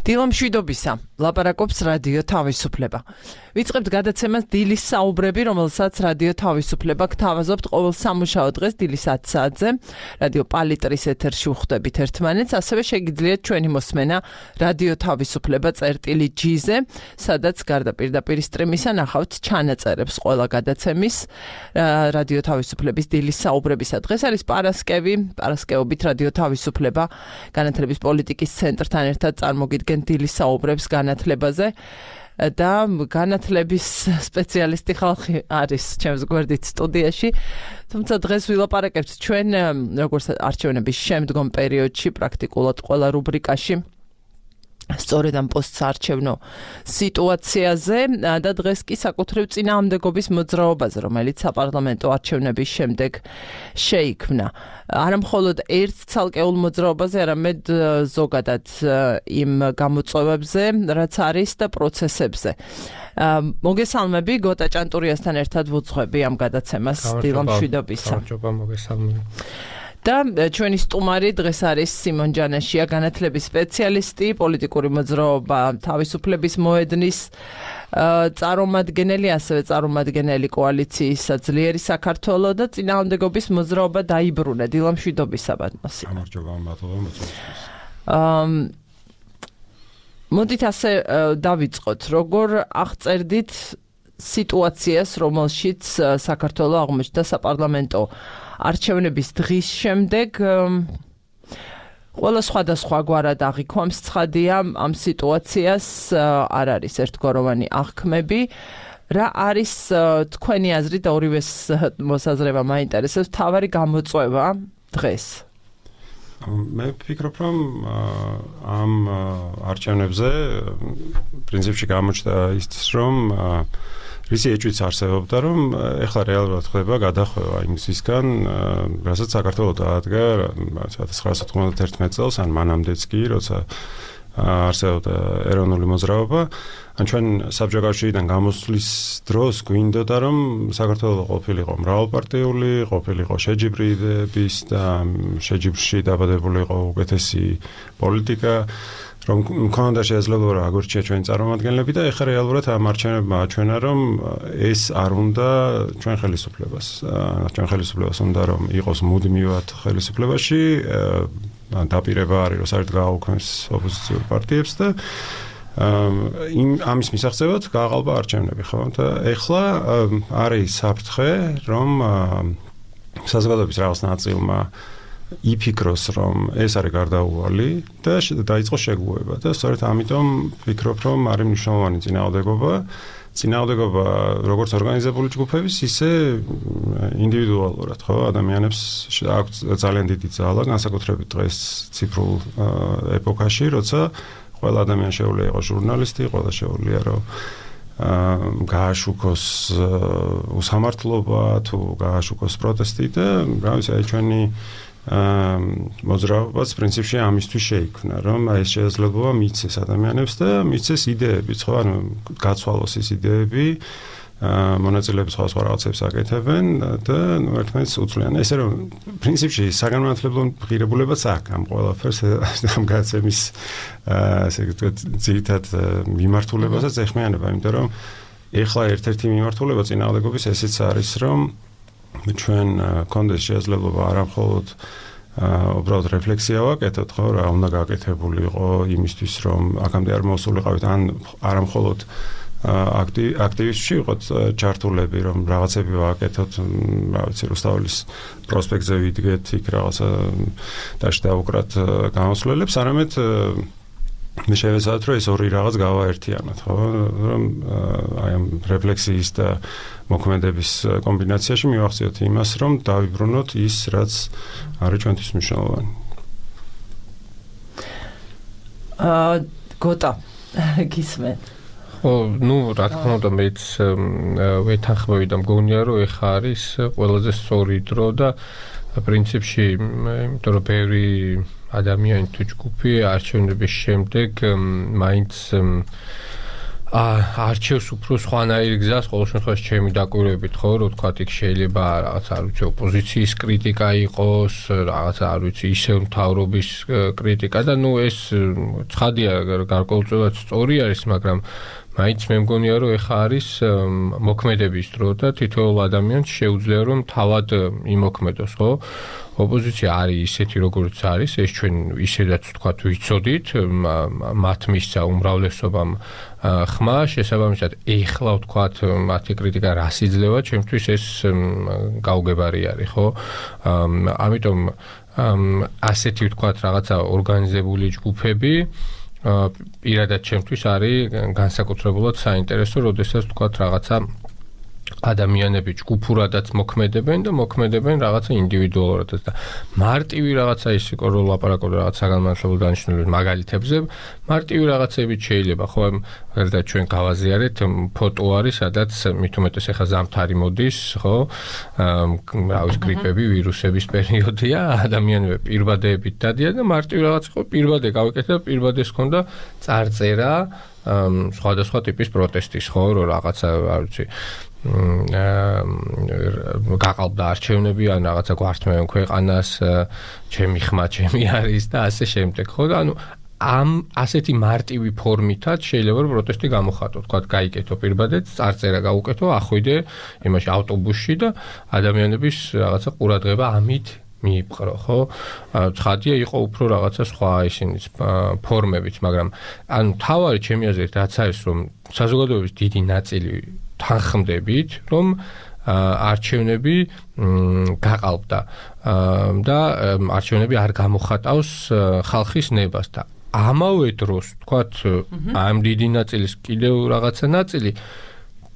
დილა მშვიდობისა, ლაპარაკობს რადიო თავისუფლება. ვიწყებთ გადაცემას დილის საუბრები, რომელსაც რადიო თავისუფლება გთავაზობთ ყოველ სამუშაო დღეს დილის 10 საათზე. რადიო პალიტრის ეთერში ვხვდებით ერთმანეთს, ასევე შეგიძლიათ ჩვენი მოსმენა რადიო თავისუფლება წერტილი.g-ზე, სადაც გარდა პირდაპირ სტრიმისა ნახავთ ჩანაწერებს ყველა გადაცემის რადიო თავისუფლების დილის საუბრებისა. დღეს არის პარასკევობით რადიო თავისუფლება განათლების პოლიტიკის ცენტრთან ერთად წარმოგიდგენ დილის საუბრებს განათლებაზე და განათლების სპეციალისტი ხალხი არის ჩემს გვერდით სტუდიაში. თუმცა დღეს ვილაპარაკებთ ჩვენ როგორც არჩევნების შემდგომ პერიოდში პრაქტიკულად ყველა რუბრიკაში სწორედ ამ პოსტსარჩევნო სიტუაციაზე და დღეს კი საკუთრივ წინააღმდეგობის მოძრაობაზე, რომელიც საპარლამენტო არჩევნების შემდეგ შეიქმნა. არა მხოლოდ ერთ ცალკეულ მოძრაობაზე, არამედ ზოგადად იმ გამოწვევებზე, რაც არის და პროცესებზე. მოგესალმები, გოტა ჭანტურიასთან ერთად ვუძღვები ამ გადაცემას დილა მშვიდობისა. გამარჯობა, მოგესალმები. და ჩვენი სტუმარი დღეს არის სიმონ ჯანაშია, განათლების სპეციალისტი, პოლიტიკური მოძრაობა თავისუფლების მოედნის წარმომადგენელი, ასევე წარმომადგენელი კოალიციისა ძლიერი საქართველო და წინააღმდეგობის მოძრაობა დაიბრუნა. დილა მშვიდობისა, ბატონო. გამარჯობა, მადლობა მოწვევისთვის. მოდით ასე დავიწყოთ, როგორ აღწერდით სიტუაციას, რომელშიც საქართველო აღმოჩნდა საპარლამენტო არჩევნების დღის შემდეგ. ყველა სხვადასხვაგვარად აღიქვამს ცხადია ამ სიტუაციას, არ არის ერთგვაროვანი აღქმები. რა არის თქვენი აზრით და ორივეს მოსაზრება მაინტერესებს, მთავარი გამოწვევა დღეს? მე ვფიქრობ, რომ ამ არჩევნებზე პრინციპში გამოჩნდა ის, რომ რისი ეჭვიც არსებობდა, რომ ეხლა რეალურად ხდება გადახვევა იმ გზისგან, რასაც საქართველო დაადგა 1991 წელს, ან მანამდეც კი, როცა არსებობდა ეროვნული მოძრაობა. ან ჩვენ საბჭოთა კავშირიდან გამოსვლის დროს გვინდოდა, რომ საქართველო ყოფილიყო მრავალპარტიული, ყოფილიყო შეჯიბრი იდეების და შეჯიბრში დაბადებული იყო უკეთესი პოლიტიკა, რომ მქონდა შესაძლებლობა რომ აგორჩია ჩვენი წარმომადგენლები და ეხლა რეალურად ამ არჩევნებმა აჩვენა, რომ ეს არ უნდა ჩვენ ხელისუფლებას. ჩვენ ხელისუფლებას უნდა რომ იყოს მუდმივად ხელისუფლებაში, დაპირება არის რომ საერთოდ გააუქმეს ოპოზიციურ პარტიებს და ამის მისაღწევად გააყალბა არჩევნები, ხო? და ეხლა არის საფრთხე, რომ საზოგადოების რაღაც ნაწილმა იფიქროს, რომ ეს არის გარდაუვალი და დაიწყოს შეგუება და სწორედ ამიტომ ვფიქრობ, რომ არის მნიშვნელოვანი წინააღმდეგობა როგორც ორგანიზებული ჯგუფების, ისე ინდივიდუალურად, ხო? ადამიანებს აქვს ძალიან დიდი ძალა, განსაკუთრებით დღეს ციფრულ ეპოქაში, როცა ყველა ადამიანი შეუძლია იყოს ჟურნალისტი, ყველა შეუძლია რომ გააშუქოს უსამართლობა თუ გააშუქოს პროტესტი და რა ვიცი, ჩვენი მოძრაობაც პრინციპში ამისთვის შეიქმნა, რომ ეს შესაძლებლობა მიცეს ადამიანებს და მიცეს იდეებიც, ხო, ანუ გაცვალოს ის იდეები, მონაწილეები სხვა რაღაცებს აკეთებენ და ერთმანეთს უცვლიან. ესე რომ პრინციპში საგანმანათლებლო ღირებულებაც აქვს ამ ყველაფერს, ამ გადაცემის ასე ვთქვათ, ძირითად მიმართულებასაც ეხმიანება, იმიტომ რომ ეხლა ერთ-ერთი მიმართულება წინააღმდეგობის ესეც არის, რომ ჩვენ გქონდეს შესაძლებლობა არა მხოლოდ უბრალოდ რეფლექსია ვაკეთოთ, ხო, რა უნდა გაკეთებულიყო იმისთვის, რომ აქამდე არ მოსულიყავით, ან არა მხოლოდ აქტივისტში ვიყოთ ჩართულები, რომ რაღაცები ვაკეთოთ, რა ვიცი, რუსთაველის პროსპექტზე ვიდგეთ, იქ რაღაცა დაშ დავუკრათ გამოსვლელებს, არამედ მე შევეცადოთ, რომ ეს ორი რაღაც გავაერთიანოთ, ხო, რომ აი ამ რეფლექსიის და მოქმედების კომბინაციაში მივახციოთ იმას, რომ დავიბრუნოთ ის, რაც არის ჩვენთვის მნიშვნელოვანი. გოტა, გისმენთ. რა თქმა უნდა, მეც ვეთანხმები და მგონია, რომ ეხა არის ყველაზე სწორი დრო და პრინციპში, იმიტომ რომ ბევრი ადამიანი თუ ჯგუფი არჩევნების შემდეგ მაინც არჩევს უფრო სხვანაირი გზას, ყოველ შემთხვევაში ჩემი დაკვირვებით, ხო, რომ თქვა იქ შეიძლება რაღაც არ ვიცი ოპოზიციის კრიტიკა იყოს, რაღაც არ ვიცი ისევ მთავრობის კრიტიკა და ეს ცხადია გარკვეულწილად სწორი არის, მაგრამ მაინც მე მგონია რომ ეხა არის მოქმედების დრო და თითოეულ ადამიანს შეუძლია რომ თავად იმოქმედოს, ხო? ოპოზიცია არის ისეთი როგორც არის, ეს ჩვენ ისედაც ვთქვათ ვიცოდით, მათ მისცა უმრავლესობამ ხმა, შესაბამისად ეხლა ვთქვათ მათი კრიტიკა რას იძლევა, ჩემთვის ეს გაუგებარი არის, ხო? ამიტომ ასეთი ვთქვათ რაღაცა ორგანიზებული ჯგუფები პირადად ჩემთვის არის განსაკუთრებულად საინტერესო, როდესაც ვთქვათ რაღაცა ადამიანები ჯგუფურადაც მოქმედებენ და მოქმედებენ რაღაცა ინდივიდუალურადაც და მარტივი რაღაცა ის იყო რომ ლაპარაკობ რაღაც საგანმანათლებლო დანიშნულების მაგალითებზე მარტივი რაღაცებით შეიძლება ხო მაგალითად ჩვენ გავაზიარეთ ფოტო არის სადაც მით უმეტეს ახლა ზამთარი მოდის ხო რავის გრიპები ვირუსების პერიოდია ადამიანები პირბადეებით დადიან და მარტივი რაღაც იყო პირბადე გავიკეთე და პირბადეს ჰქონდა წარწერა სხვადასხვა ტიპის პროტესტის ხო რომ რაღაცა არ ვიცი გაყალბდა არჩევნები ან რაღაცა გვართმევენ ქვეყანას ჩემი ხმა ჩემი არის და ასე შემდეგ ხო და ანუ ამ ასეთი მარტივი ფორმითაც შეიძლება რომ პროტესტი გამოხატო თქვა გაიკეთო პირბადეც წარწერა გაუკეთო ახვიდე იმაში ავტობუსში და ადამიანების რაღაცა ყურადღება ამით მიიპყრო ხო ცხადია იყო უფრო რაღაცა სხვა ისინიც ფორმებით მაგრამ ანუ თავარი ჩემი აზრით რაც არის რომ საზოგადოების დიდი ნაწილი თანხმდებით რომ არჩევნები გაყალბდა და არჩევნები არ გამოხატავს ხალხის ნებას და ამავე დროს თქვათ ამ დიდი ნაწილის კიდევ რაღაცა ნაწილი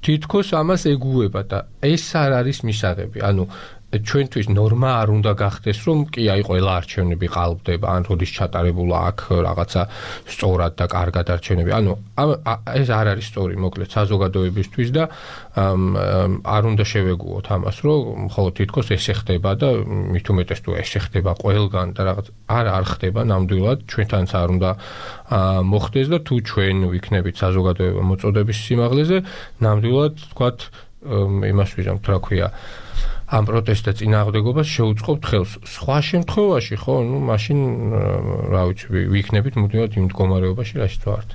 თითქოს ამას ეგუება და ეს არ არის მისაღები ანუ ჩვენთვის ნორმა არ უნდა გახდეს რომ კი აი ყველა არჩევნები ყალბდება ან როდის ჩატარებულა აქ რაღაცა სწორად და კარგად არჩევნები ანუ ეს არ არის სწორი მოკლედ საზოგადოებისთვის და არ უნდა შევეგუოთ ამას რომ ხოლო თითქოს ესე ხდება და მით უმეტეს თუ ესე ხდება ყველგან და რაღაც არ ხდება ნამდვილად ჩვენთანაც არ უნდა მოხდეს და თუ ჩვენ ვიქნებით საზოგადოება მოწოდების სიმაღლეზე ნამდვილად თქვათ იმას ვიზამთ რა ქვია ამ პროტესტთა წინააღმდეგობას შეუწყობთ ხელს. სხვა შემთხვევაში ხო, ნუ მაშინ რა ვიცი, ვიქნებით მუდმივად იმ მდგომარეობაში, რაშიც ვართ.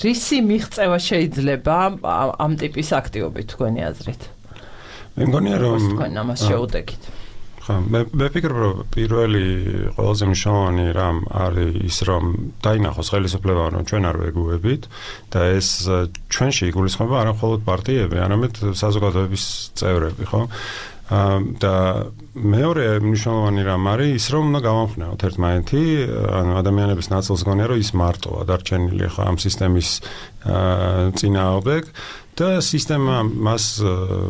რისი მიღწევა შეიძლება ამ ტიპის აქტივობით თქვენი აზრით? მე მგონია რომ თქვენ ამას შეუდეგით. მე ვფიქრობ რომ პირველი ყველაზე მნიშვნელოვანი რამ არის ის რომ დაინახოს ხელისუფლება რომ ჩვენ არ ვეგუებით და ეს ჩვენში იგულისხმება არა მხოლოდ პარტიები, არამედ საზოგადოების წევრები, ხო? და მეორე მნიშვნელოვანი რამ არის ის რომ უნდა გავამხნევოთ ერთმანეთი, ანუ ადამიანების ნაწილს გონია რომ ის მარტოა დარჩენილი ხო ამ სისტემის წინააღმდეგ და სისტემა მას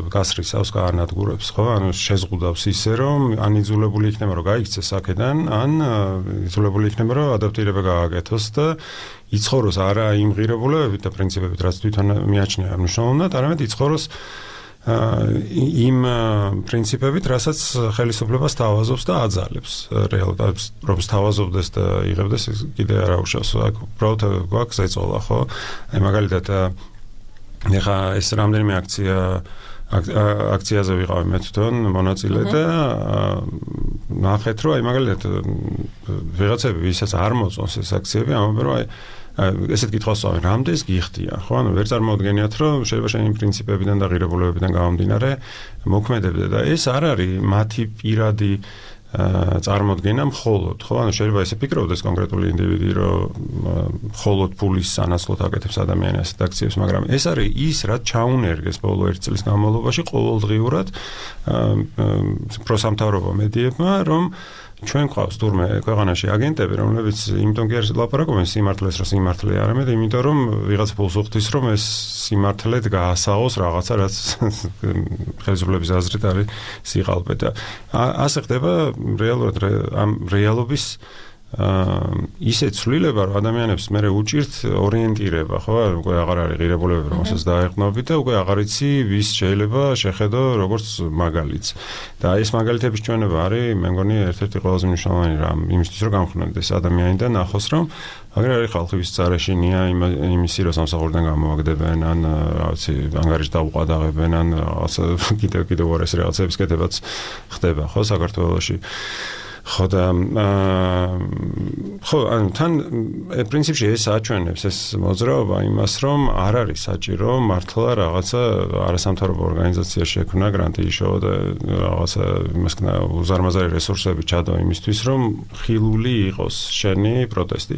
გასრიცავს გაანადგურებს, ხო? ანუ შეზღუდავს ისე, რომ ან იძულებული იქნება, რომ გაიქცეს აქედან, ან იძულებული იქნება, რომ ადაპტირება გააკეთოს და იცხოვროს არა იმ ღირებულებებით და პრინციპებით, რაც თვითონ მიაჩნია მნიშვნელოვნად, არამედ იცხოვროს იმ პრინციპებით, რასაც ხელისუფლება სთავაზობს და აძალებს რეალურად, რომ სთავაზობდეს და იღებდეს კიდე არ აუშავს. აქ უბრალოდ გვაქვს ეწოლა, ხო? აი მაგალითად ეხა ეს რამდენიმე აქციაზე ვიყავი მე თვითონ მონაწილე და ნახეთ რომ აი მაგალითად ვიღაცები ვისაც არ მოწონს ეს აქციები ამბობენ რომ აი ესეთ კითხვას ვსვამენ რამდენს გიხდიან ხო ანუ ვერ წარმოუდგენიათ რომ შეიძლება შენი პრინციპებიდან და ღირებულებებიდან გამომდინარე მოქმედებდე და ეს არ არის მათი პირადი წარმოდგენა მხოლოდ ხო ანუ შეიძლება ესე ფიქრობდეს კონკრეტული ინდივიდი რომ მხოლოდ ფულის სანაცვლოდ აკეთებს ადამიანს ასეთ აქციებს მაგრამ ეს არის ის რაც ჩაუნერგეს ბოლო 1 წლის განმავლობაში ყოველდღიურად პროსამთავრობო მედიებმა რომ ჩვენ ყავს თურმე ქვეყანაში აგენტები რომლებიც იმიტომ კი არ ლაპარაკობენ სიმართლეს რომ სიმართლე არამედ იმიტომ რომ ვიღაც ფულს უხდის რომ ეს სიმართლედ გაასაღოს რაღაცა რაც ხელისუფლების აზრით არის სიყალბე და ასე ხდება რეალურად ამ რეალობის ისე ცვლილება, რომ ადამიანებს მერე უჭირთ ორიენტირება, ხო? უკვე აღარ არის ღირებულებები, რომელსაც დაეყრდნობით და უკვე აღარ იცი, ვის შეიძლება შეხედო როგორც მაგალითს. და ეს მაგალითების ჩვენება არის, მე მგონი, ერთ-ერთი ყველაზე მნიშვნელოვანი რამ იმისთვის, რომ გამხნოდდეს ადამიანი და ნახოს, რომ აგერ არის ხალხი ვის წარეშინია იმისი, რომ სამსახურიდან გამოვაგდებენ, ან რაღაცი ანგარიში დაუყადაღებენ, ან კიდევ უარეს რაღაცების კეთებაც ხდება, ხო, საქართველოში. ხო და ხო, ანუ თან პრინციპში ეს აჩვენებს ეს მოძრაობა იმას, რომ არ არის საჭირო მართლა რაღაცა არასამთავრობო ორგანიზაცია შექმნა, გრანტი იშოვა და რაღაცა იმასკნა უზარმაზარი რესურსები ჩადო იმისთვის, რომ ხილული იყოს შენი პროტესტი.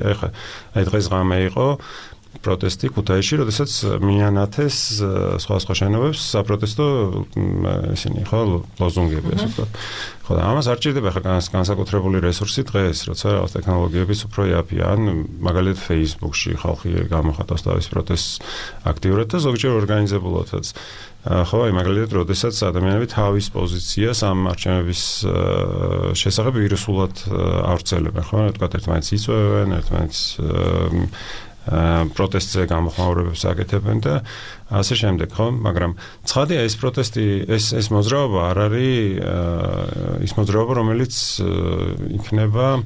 აი დღეს ღამე იყო პროტესტი ქუთაისში, როდესაც მიანათეს სხვა შენობებს საპროტესტო ისინი ხო ლოზუნგები ასე ვთქვათ. ხო და ამას არ ჭირდება ხა განსაკუთრებული რესურსი დღეს, როცა რაღაც ტექნოლოგიებიც უფრო იაფია, ან მაგალითად Facebook-ში ხალხი გამოხატავს თავის პროტესტს აქტიურად და ზოგჯერ ორგანიზებულადაც. ხო, აი მაგალითად, როდესაც ადამიანები თავის პოზიციას ამ არჩევნების შესახებ ვირუსულად ავრცელებენ, ხო, ვთქვათ, ერთმანეთს იწვევენ, ერთმანეთს პროტესტზე გამოხმაურებებს აკეთებენ და ასე შემდეგ, ხო? მაგრამ ცხადია ეს პროტესტი, ეს მოძრაობა არ არის ის მოძრაობა, რომელიც იქნება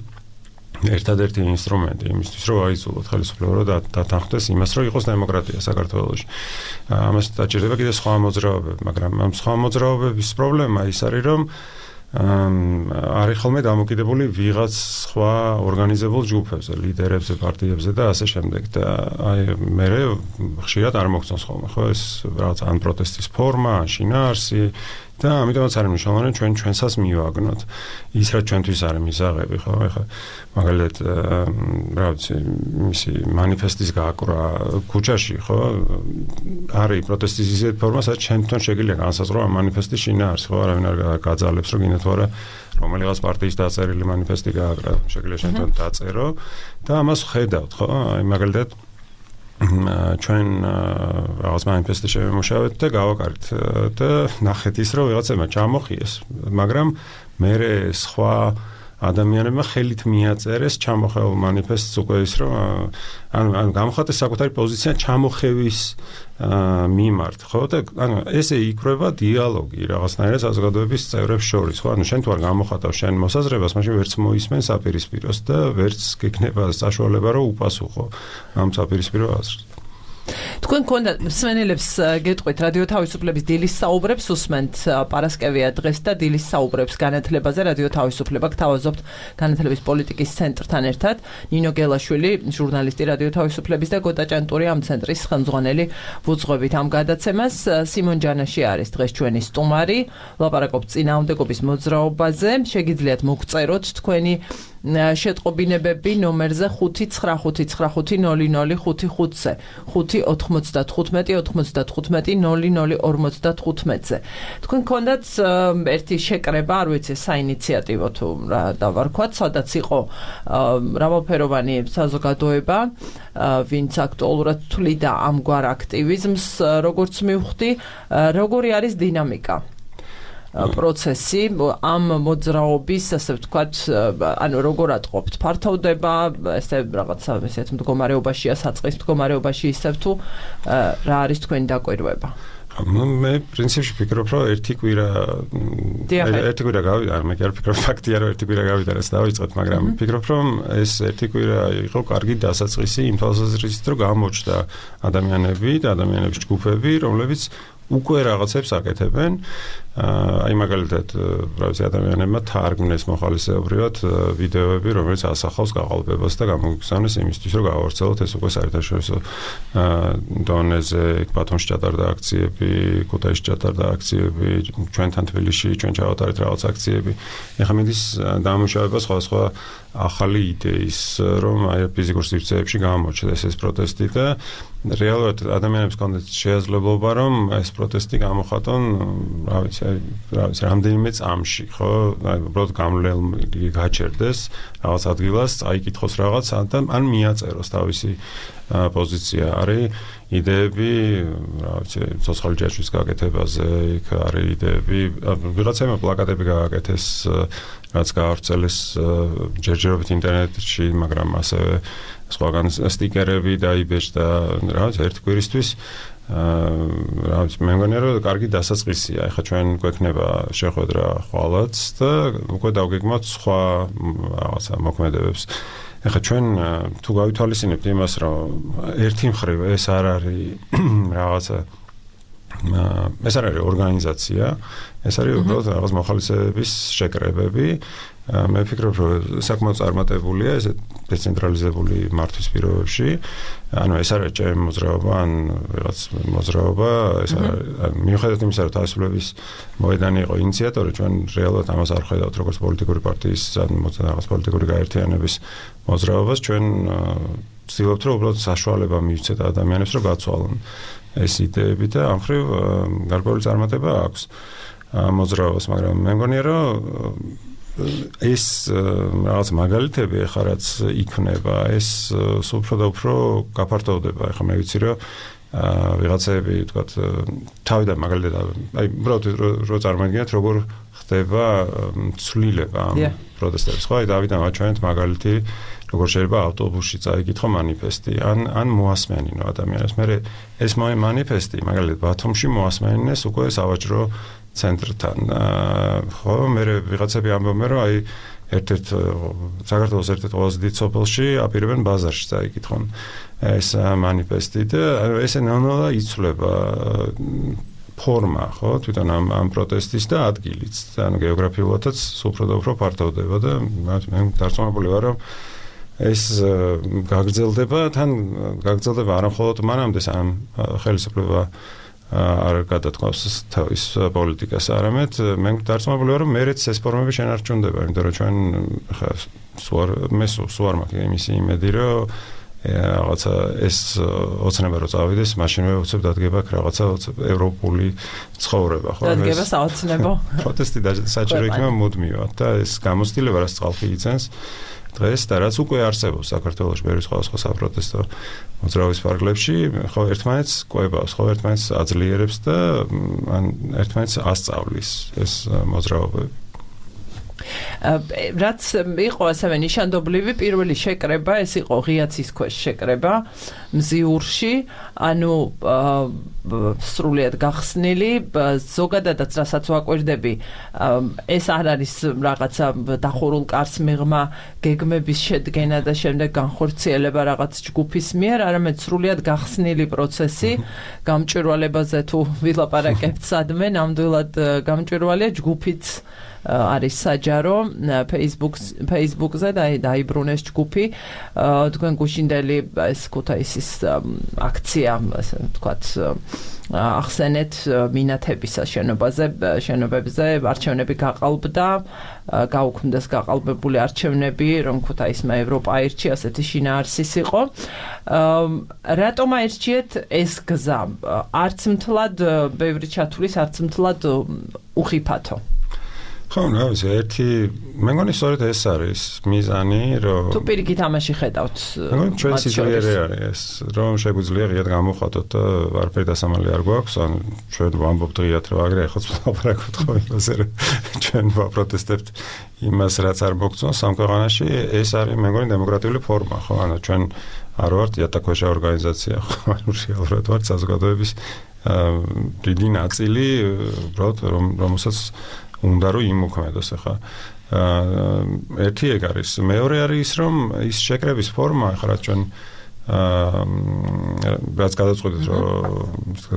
ერთადერთი ინსტრუმენტი იმისთვის, რომ აიძულოთ ხელისუფლება და დათანხმდეს იმას, რომ იყოს დემოკრატია საქართველოში. ამას დაჭირდება კიდევ სხვა მოძრაობები, მაგრამ ამ სხვა მოძრაობების პრობლემა ის არის, რომ არის ხოლმე დამოკიდებული ვიღაც სხვა ორგანიზებულ ჯგუფებზე, ლიდერებზე, პარტიებზე და ასე შემდეგ და აი მე ხშირად არ მოგწონს ხოლმე, ხო, ეს რაღაც ან პროტესტის ფორმა, ან შინაარსი და ამიტომაც არის მნიშვნელოვანი ჩვენსაც მივაგნოთ ის რაც ჩვენთვის არის მისაღები, ხო, ეხლა მაგალითად რა ვიცი, მისი მანიფესტის გააკვრა ქუჩაში, ხო, არის პროტესტის ისეთი ფორმა, სადაც ჩვენთან შეგიძლია განსაზღვრო ამ მანიფესტის შინაარსი, ხო, არავინ არ გაძალებს, რომ გინდათ ვარა რომელიღაც პარტიის დაწერილი მანიფესტი გააკრა, შეგიძლია ჩვენთან დაწერო და ამას ხედავთ, ხო, აი მაგალითად ჩვენ რაღაც მანიფესტი შევემუშავეთ და გავაკარით და ნახეთ ის, რომ ვიღაცებმა ჩამოხიეს, მაგრამ მე სხვა ადამიანებმა ხელით მიაწერეს ჩამოხეულ მანიფესტს უკვე ის, რომ ანუ გამოხატეს საკუთარი პოზიცია ჩამოხევის მიმართ, ხო და ანუ ესე იქრება დიალოგი რაღაცნაირად საზოგადოების წევრებს შორის, ხო, ანუ შენ თუ არ გამოხატავ შენ მოსაზრებას, მაშინ ვერც მოისმენ საპირისპიროს და ვერც გექნება საშუალება რომ უპასუხო ამ საპირისპირო აზრს. თქვენ გქონდა მსმენელებს გეტყვით რადიო თავისუფლების დილის საუბრებს უსმენთ პარასკევია დღეს და დილის საუბრებს განათლებაზე რადიო თავისუფლება გთავაზობთ განათლების პოლიტიკის ცენტრთან ერთად ნინო გელაშვილი ჟურნალისტი რადიო თავისუფლების და გოტა ჭანტური ამ ცენტრის ხელმძღვანელი ვუძღვებით ამ გადაცემას სიმონ ჯანაში არის დღეს ჩვენი სტუმარი ლაპარაკობთ წინააღმდეგობის მოძრაობაზე შეგიძლიათ მოგწეროთ თქვენი შეტყობინებები ნომერზე 595500555-ზე 595-95-00-55-ზე. თქვენ გქონდათ ერთი შეკრება, არ ვიცი, საინიციატივო თუ რა დავარქვათ, სადაც იყო მრავალფეროვანი საზოგადოება, ვინც აქტუალურად თვლიდა ამგვარ აქტივიზმს, როგორც მივხვდი, როგორი არის დინამიკა? პროცესი ამ მოძრაობის, ასე ვთქვათ, ანუ როგორ ატყობთ? ფართოვდება, ესე რაღაცა ისეთ მდგომარეობაშია, საწყის მდგომარეობაში ისევ თუ რა არის თქვენი დაკვირვება? მე პრინციპში ფიქრობ, რომ ერთი კვირა გავიდა, არ მე კი არ ფიქრობ, ფაქტია, რომ ერთი კვირა გავიდა, რაც დავიწყეთ, მაგრამ ფიქრობ, რომ ეს ერთი კვირა იყო კარგი დასაწყისი იმ თვალსაზრისით, რომ გამოჩნდა ადამიანები და ადამიანების ჯგუფები, რომლებიც უკვე რაღაცებს აკეთებენ. აი მაგალითად, რა ვიცი, ადამიანებმა თარგმნეს მოხალისეობრივად ვიდეოები, რომელიც ასახავს გაყალბებას და გამოგზავნეს იმისთვის, რომ გავავრცელოთ ეს უკვე საერთაშორისო დონეზე, ბათუმში ჩატარდა აქციები, ქუთაისში ჩატარდა აქციები, ჩვენთან თბილისში, ჩვენ ჩავატარეთ რაღაც აქციები. ეხლა მიდის დამუშავება სხვადასხვა ახალი იდეის, რომ აი ფიზიკურ სივრცეებში გამოჩნდეს ეს პროტესტი და რეალურად ადამიანებს კონდეთ შეაძლებლობა, რომ ეს პროტესტი გამოხატონ, რა ვიცი, რამდენიმე წამში, ხო? აი, უბრალოდ გამლელი გაჩერდეს რაღაც ადგილას, წაიკითხოს რაღაც, ან მიაწეროს თავისი პოზიცია არის იდეები, რა ვიცი, ცოცხალი ჯაჭვის გაკეთებაზე, იქ არის იდეები, ვიღაცაებმა პლაკატები გააკეთეს, რაც გაავრცელეს ჯერჯერობით ინტერნეტში, მაგრამ ასევე სხვაგან სტიკერები დაიბეჭდა, რა ვიცი, ერთი კვირისთვის რა ვიცი, მე მგონია რომ კარგი დასაწყისია. ეხლა ჩვენ გვექნება შეხვედრა ხვალაც და უკვე დავგეგმოთ სხვა რაღაცა მოქმედებებს. ეხლა ჩვენ თუ გავითვალისწინებთ იმას, რომ ერთი მხრივ ეს არ არის რაღაცა ეს არ არის ორგანიზაცია, ეს არის უბრალოდ რაღაც მოხალისეების შეკრებები. მე ვფიქრობ, რომ საკმაოდ წარმატებულია ეს დეცენტრალიზებული მართვის პირობებში. ანუ ეს არის ჩემი მოძრაობა, ან რაღაც მოძრაობა, ეს მიუხედავად იმისა, რომ თავისუფლების მოედანი იყო ინიციატორი, ჩვენ რეალურად ამას არ ხედავთ როგორც პოლიტიკური პარტიის ან რაღაც პოლიტიკური გაერთიანების მოძრაობას, ჩვენ ვცდილობთ, რომ უბრალოდ საშუალება მივცეთ ადამიანებს, რომ გაცვალონ ეს იდეები და ამ ხრივ გარკვეული წარმატება აქვს მოძრაობას, მაგრამ მე მგონია, რომ ეს რაღაც მაგალითები ახლა რაც იქნება, ეს უფრო და უფრო გაფართოვდება. ახლა მე ვიცი, რომ ვიღაცები, თქვათ, თავიდან მაგალითად, აი, უბრალოდ რო წარმოიდგინეთ, როგორ ხდება ცვლილება ამ პროტესტების, ხო? აი, დავიდან ვაჩვენეთ მაგალითი, როგორ შეიძლება ავტობუსში წაიკითხო მანიფესტი, ან მოასმენინო ადამიანებს. მე ეს მანიფესტი, მაგალითად, ბათუმში მოასმენინეს უკვე სავაჭრო ცენტრთან. ხო, მე ვიღაცები ამბობენ, რომ აი ერთ-ერთ საქართველოს ერთ-ერთ ყველაზე დიდ სოფელში აპირებენ ბაზარში წაიკითხონ ეს მანიფესტი და ესე ნელ-ნელა იცვლება ფორმა, ხო, თვითონ ამ პროტესტის და ადგილიც. ანუ გეოგრაფიულადაც უფრო და უფრო ფართოვდება და მე დარწმუნებული ვარ, რომ ეს გაგრძელდება, თან გაგრძელდება არა მხოლოდ მანამდე ამ ხელისუფლება არ გადათქვავს თავის პოლიტიკას, არამედ მე დარწმუნებული ვარ, რომ მერეც ეს ფორმები შენარჩუნდება, იმიტომ რომ ჩვენ ხა სულ არ მაქვს იმისი იმედი, რომ რაღაცა ეს ოცნება რო წავიდეს, მაშინვე უცებ დადგება რაღაცა ევროპული ცხოვრება, ხო? დადგება საოცნებო. პროტესტი საჭირო იქნება მუდმივად და ეს გამოცდილება, რაც წყალხი იცენს დღეს და რაც უკვე არსებობს საქართველოში ბევრი სხვა საპროტესტო მოძრაობის ფარგლებში, ხო, ერთმანეთს კვებავს, ხო, ერთმანეთს აძლიერებს და ან ერთმანეთს ასწავლის ეს მოძრაობები. რაც იყო ასევე ნიშანდობლივი პირველი შეკრება, ეს იყო ღიაცის ქვეშ შეკრება მზიურში, ანუ სრულიად გახსნილი, ზოგადადაც რასაც ვაკვირდები, ეს არ არის რაღაცა დახურულ კარს მიღმა გეგმების შედგენა და შემდეგ განხორციელება რაღაც ჯგუფის მიერ, არამედ სრულიად გახსნილი პროცესი, გამჭვირვალებაზე თუ ვილაპარაკებთ სადმე, ნამდვილად გამჭვირვალეა ჯგუფიც არის საჯარო Facebook-ზე დაიბრუნეს ჯგუფი, თქვენ გუშინდელი ეს ქუთაისის აქცია, ასე ვთქვათ, ახსენეთ მინათების შენობებზე არჩევნები გაყალბდა, გაუქმდეს გაყალბებული არჩევნები, რომ ქუთაისმა ევროპა აირჩია, ასეთი შინაარსის იყო. რატომ აირჩიეთ ეს გზა? არც მთლად ბევრი ჩათვლის, არც მთლად უხიფათო. ხო, რა ვიცი, მე მგონი სწორედ ეს არის მიზანი, რომ თუ პირიქით ამაში ხედავთ. მე მგონი ჩვენ სიძლიერე არის ეს, რომ შეგვიძლია ღიად გამოვხატოთ და არაფერი დასამალი არ გვაქვს, ან ჩვენ ვამბობთ ღიად, რომ აგრე ეხოც ვლაპარაკობთ ხო იმაზე, რომ ჩვენ ვაპროტესტებთ იმას, რაც არ მოგწონს ამ ქვეყანაში, ეს არის მე მგონი დემოკრატიული ფორმა, ხო, ანუ ჩვენ არ ვართ იატაკქვეშა ორგანიზაცია, ხო, ანუ რეალურად ვართ საზოგადოების დიდი ნაწილი, უბრალოდ რომელსაც უნდა რომ იმოქმედოს ახლა. ერთი ეგ არის, მეორე არის ის, რომ ის შეკრების ფორმა, ახლა რაც ჩვენ რაც გადაწყვეტეთ, რომ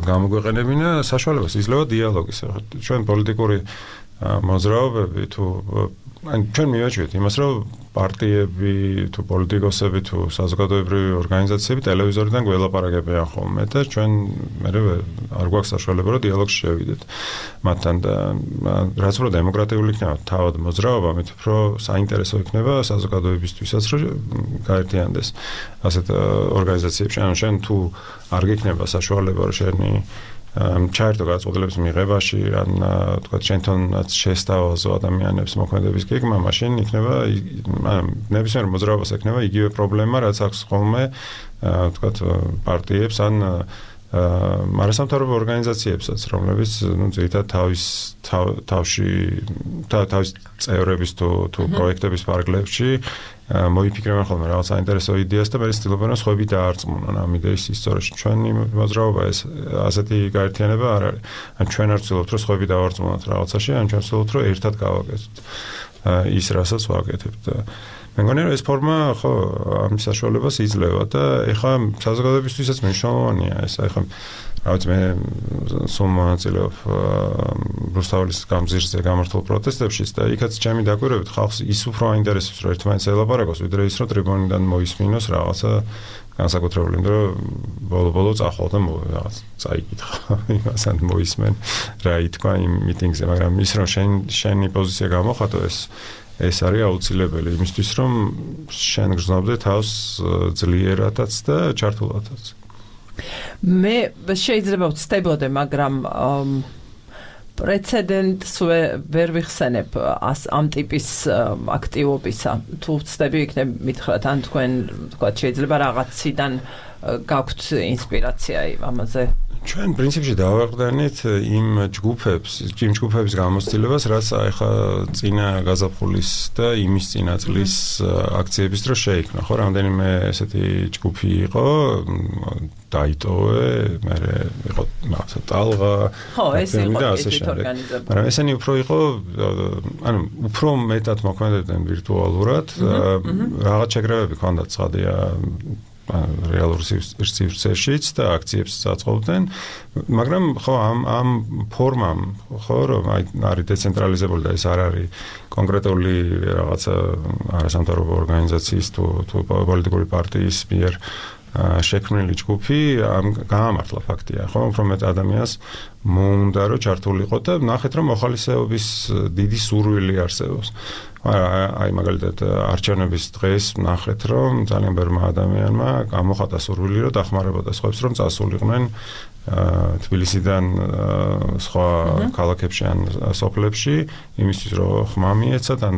გამოგვეყენებინა, საშუალებას იძლევა დიალოგის. ჩვენ პოლიტიკური მოძრაობები თუ ან ჩვენ მივაჩვიეთ იმას, რომ პარტიები თუ პოლიტიკოსები თუ საზოგადოებრივი ორგანიზაციები ტელევიზორიდან გველაპარაკებიან ხოლმე და ჩვენ მე არ გვაქვს საშუალება რომ დიალოგში შევიდეთ მათთან და რაც უფრო დემოკრატიული იქნება თავად მოძრაობა, მით უფრო საინტერესო იქნება საზოგადოებისთვისაც რომ გაერთიანდეს ასეთ ორგანიზაციებში. ანუ შენ თუ არ გექნება საშუალება რომ შენი ჩაერთო გადაწყვეტილების მიღებაში, ან თქვა შენთანაც შესთავაზო ადამიანებს მოქმედების გეგმა, მაშინ იქნება ნებისმიერ მოძრაობას ექნება იგივე პრობლემა, რაც აქვს ხოლმე ვთქვათ, პარტიებს ან მარასამთავრობო ორგანიზაციებსაც, რომლებიც ძირითადად თავში თავის წევრების თუ პროექტების ფარგლებში მოიფიქრებენ ხოლმე რაღაც საინტერესო იდეას და მე ვცდილობენ რომ სხვები დაარწმუნონ ამ იდეის ისტორიაში. ჩვენი მოძრაობა ეს ასეთი გაერთიანება არ არის. ან ჩვენ არ ვცდილობთ რომ სხვები დავარწმუნოთ რაღაცაში, ან ჩვენ ვცდილობთ რომ ერთად გავაკეთოთ ის რასაც ვაკეთებთ. მე მგონი რომ ეს ფორმა ხო ამის საშუალებას იძლევა და ეხლა საზოგადოებისთვისაც მნიშვნელოვანია ეს. ეხლა რაც მე სულ მონაწილეობ რუსთაველის გამზირზე გამართულ პროტესტებშიც და იქაც ჩემი დაკვირვებით ხალხს ის უფრო აინტერესებს რომ ერთმანეთს ელაპარაკოს ვიდრე ის რომ ტრიბუნიდან მოისმინოს რაღაცა განსაკუთრებული, იმიტომ რომ ბოლო-ბოლო წახვალ და რაღაც წაიკითხა იმასთან მოისმენ რა ითქვა იმ მიტინგზე, მაგრამ ის რომ შენი პოზიცია გამოხატო ეს არის აუცილებელი იმისთვის რომ შენ გრძნობდე თავს ძლიერადაც და ჩართულადაც. მე შეიძლება ვცდებოდე, მაგრამ პრეცედენტს ვერ ვიხსენებ ამ ტიპის აქტივობისა. თუ ვცდები იქნებ მითხრათ, ან თქვენ თქვა შეიძლება რაღაციდან გაქვთ ინსპირაცია ამაზე. ჩვენ პრინციპში დავაყრდნით იმ ჯგუფების გამოცდილებას, რაც ახლა წინა გაზაფხულის და იმის წინა წლის აქციების დროს შეიქმნა. ხო, რამდენიმე ესეთი ჯგუფი იყო, დაიტოვე, მერე იყო რაღაცა ტალღა, ხო, ეს იყო ორგანიზებული. მაგრამ ესენი უფრო იყო, ანუ უფრო მეტად მოქმედებდნენ ვირტუალურად, რაღაც შეგრევები ჰქონდათ ცხადია რეალურ სივრცეშიც და აქციებს საწყობდნენ, მაგრამ ხო ამ ფორმამ ხო რომ არის დეცენტრალიზებული და ეს არ არის კონკრეტული რაღაცა არასამთავრობო ორგანიზაციის თუ პოლიტიკური პარტიის მიერ შექმნილი ჯგუფი გაამართლა ფაქტია, ხო, უფრო მეტ ადამიანს მოუნდა რომ ჩართულიყო და ნახეთ რომ მოხალისეობის დიდი სურვილი არსებობს. აი მაგალითად არჩევნების დღეს ნახეთ რომ ძალიან ბევრმა ადამიანმა გამოხატა სურვილი რომ დახმარებოდა სხვებს რომ წასულიყვნენ თბილისიდან სხვა ქალაქებში ან სოფლებში იმისთვის რომ ხმა მიეცათ ან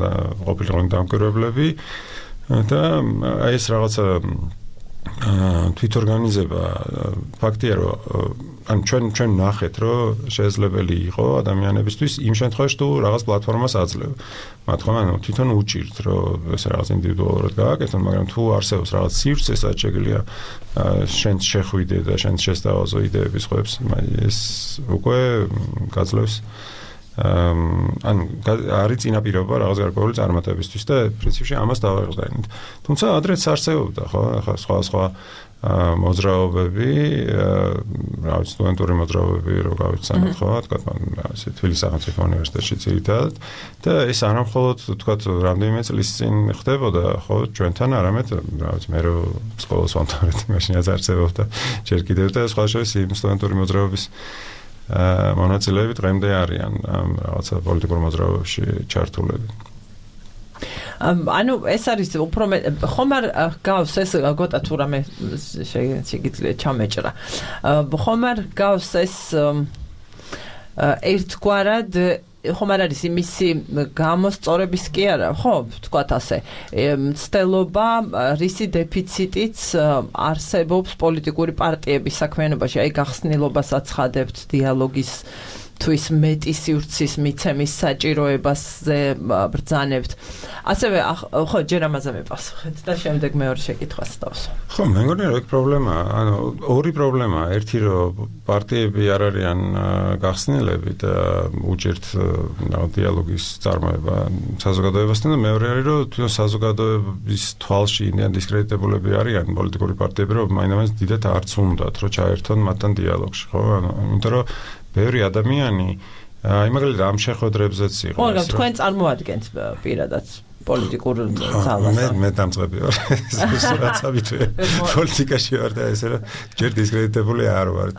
ყოფილიყო დამკვირვებლები და აი ეს რაღაცა თვითორგანიზება ფაქტია რომ ან ჩვენ ნახეთ რომ შესაძლებელი იყო ადამიანებისთვის იმ შემთხვევაში თუ რაღაც პლატფორმას აძლევ. მათ ხომ ანუ თვითონ უჭირთ რომ ეს რაღაც ინდივიდუალურად გააკეთონ, მაგრამ თუ არსებობს რაღაც სივრცე შეგვიძლია შენ შეხვიდე და შენ შესთავაზო იდეების ხვებს, ეს უკვე გაძლევს ანუ არის წინაპირობა რაღაც გარკვეული წარმატებისთვის და პრინციპში ამას დავაყრდნით. თუმცა ადრეც არსებობდა ხო, ახლა სხვა მოძრაობები, რაღაც სტუდენტური მოძრაობები რო გავიცანოთ ხო, თქვა ასე თბილისის სახელმწიფო უნივერსიტეტში ძირითადად და ეს არა მხოლოდ თქვა რამდენიმე წლის წინ ხდებოდა ხო ჩვენთან, არამედ რაღაც მე რო სკოლის ვამთავრეთ მაშინაც არსებობდა ჯერ კიდევ და სხვა შორის იმ სტუდენტური მოძრაობის მონაწილეები დღემდე არიან რაღაცა პოლიტიკურ მოძრაობებში ჩართულები. ანუ ეს არის უფრო ხომ არ გავს ეს გოტა თუ რამე შეგიძლია ჩამეჭრა. ხომ არ გავს ეს ერთგვარად ხომ არ არის იმისი გამოსწორების კი არა, ხო, ვთქვათ ასე, მცდელობა, რისი დეფიციტიც არსებობს პოლიტიკური პარტიების საქმიანობაში, აი გახსნილობას აცხადებთ დიალოგის თვის მეტი სივრცის მიცემის საჭიროებაზე ბრძანებთ. ასევე ხო ჯერ ამაზე მიპასუხეთ და შემდეგ მეორე შეკითხვას დავსვა. ხო, მე მგონი რომ ეგ პრობლემაა, ანუ ორი პრობლემაა, ერთი რომ პარტიები არ არიან გახსნილები და უჭერთ დიალოგის წარმოება საზოგადოებასთან და მეორე არის რომ თვითონ საზოგადოების თვალში ინდიან დისკრედიტებულები არიან პოლიტიკური პარტიები, რომ მაინც დიდად არც უნდათ რომ ჩაერთონ მათთან დიალოგში, ხო? ანუ იმიტომ რომ ბევრი ადამიანი აი მაგალითად ამ შეხვედრებზეც იყო. ხო, თქვენ წარმოადგენთ პირადად პოლიტიკურ ძალას. მე დამწყები ვარ. რაც ამითვე პოლიტიკაში ვარ და ესე რომ ჯერ დისკრედიტებული არ ვარ.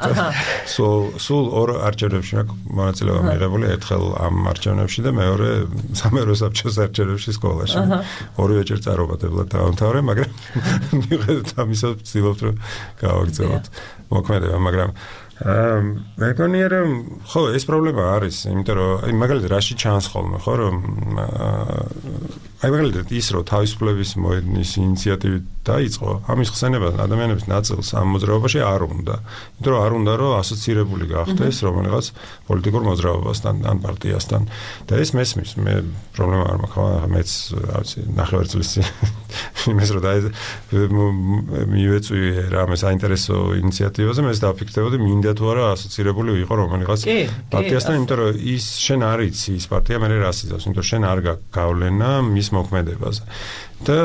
სულ ორ არჩევნებში მაქვს მონაწილეობა მიღებული, ერთხელ ამ არჩევნებში და მეორე სამერო საბჭოს არჩევნებში სკოლაში. ორივე ჯერ წარუმატებლად დავამთავრე, მაგრამ მიუხედავად ამისა ვცდილობთ რომ გავაგრძელოთ მოქმედება, მაგრამ მე მგონია რომ ხო ეს პრობლემა არის, იმიტომ რომ მაგალითად რაში ჩანს ხოლმე ხო რომ მაგალითად ის რომ თავისუფლების მოედნის ინიციატივით დაიწყო, ამის ხსენება ადამიანების ნაწილს ამ მოძრაობაში არ უნდა. იმიტომ რომ არ უნდა რომ ასოცირებული გახდეს რომელიღაც პოლიტიკურ მოძრაობასთან ან პარტიასთან. და ეს მესმის, მე პრობლემა არ მაქვს, მეც რა ვიცი, ნახევარწლის იმეს რომ მივეწვი რამე საინტერესო ინიციატივაზე, მე დავფიქრდებოდი მინდა თუ არა ასოცირებული ვიყო რომელიღაც პარტიასთან, იმიტომ რომ ის შენ არ იცი ის პარტია მე რას იზავს, იმიტომ რომ შენ არ გაგავლენა მის მოქმედებაზე. და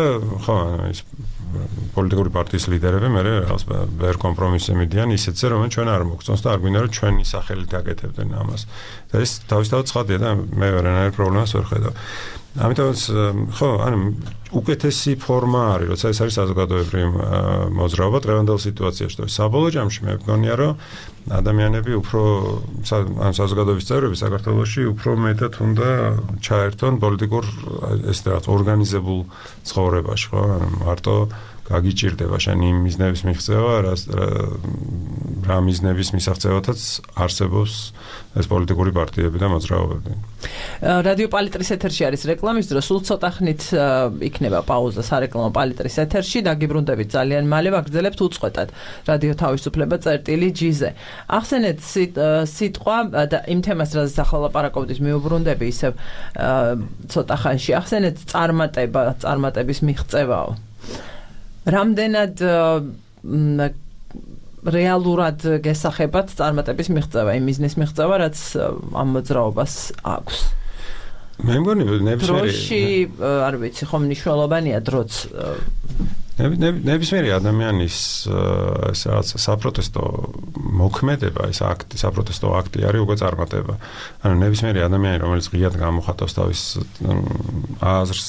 ხო ის პოლიტიკური პარტიის ლიდერები მე რაღაც ვერ კომპრომისზე მიდიან ისეთზე რომ ჩვენ არ მოგწონს და არ გვინდა რომ ჩვენი სახელით აკეთებდნენ ამას. და ეს თავისთავად ცხადია და მე ვერანაირ პრობლემას ვერ ხედავ. ამიტომაც ხო, ანუ უკეთესი ფორმა არის, როცა ეს არის საზოგადოებრივი მოძრაობა დღევანდელ სიტუაციაში. და საბოლოო ჯამში მე მგონია რომ ადამიანები უფრო ან საზოგადოების წევრები საქართველოში უფრო მეტად უნდა ჩაერთონ პოლიტიკურ ეს რაღაც ორგანიზებულ ცხოვრებაში, ხო? ანუ მარტო გაგიჭირდება შენ იმ მიზნების მიღწევა, რა მიზნების მისაღწევათაც არსებობს ეს პოლიტიკური პარტიები და მოძრაობები. რადიო პალიტრის ეთერში არის რეკლამის დრო, სულ ცოტა ხნით იქნება პაუზა სარეკლამო პალიტრის ეთერში, დაგიბრუნდებით ძალიან მალე, ვაგრძელებთ უწყვეტად რადიო თავისუფლება წერტილი.gz-ზე. ახსენეთ სიტყვა და იმ თემას, რაზეც ახლა ლაპარაკობთ, მიუბრუნდები ისევ ცოტა ხანში. ახსენეთ წარმატების მიღწევაო. რამდენად რეალურად გესახებათ წარმატების მიღწევა, იმ მიზნის მიღწევა, რაც ამ მოძრაობას აქვს. მე მგონი ნებისმიერი დროში, არ ვიცი, ხომ მნიშვნელოვანია დროც. ნებისმიერი ადამიანის ეს რაღაც საპროტესტო მოქმედება, ეს აქტი, საპროტესტო აქტი არის უკვე წარმატება. ანუ ნებისმიერი ადამიანი, რომელიც ღიად გამოხატავს თავის აზრს,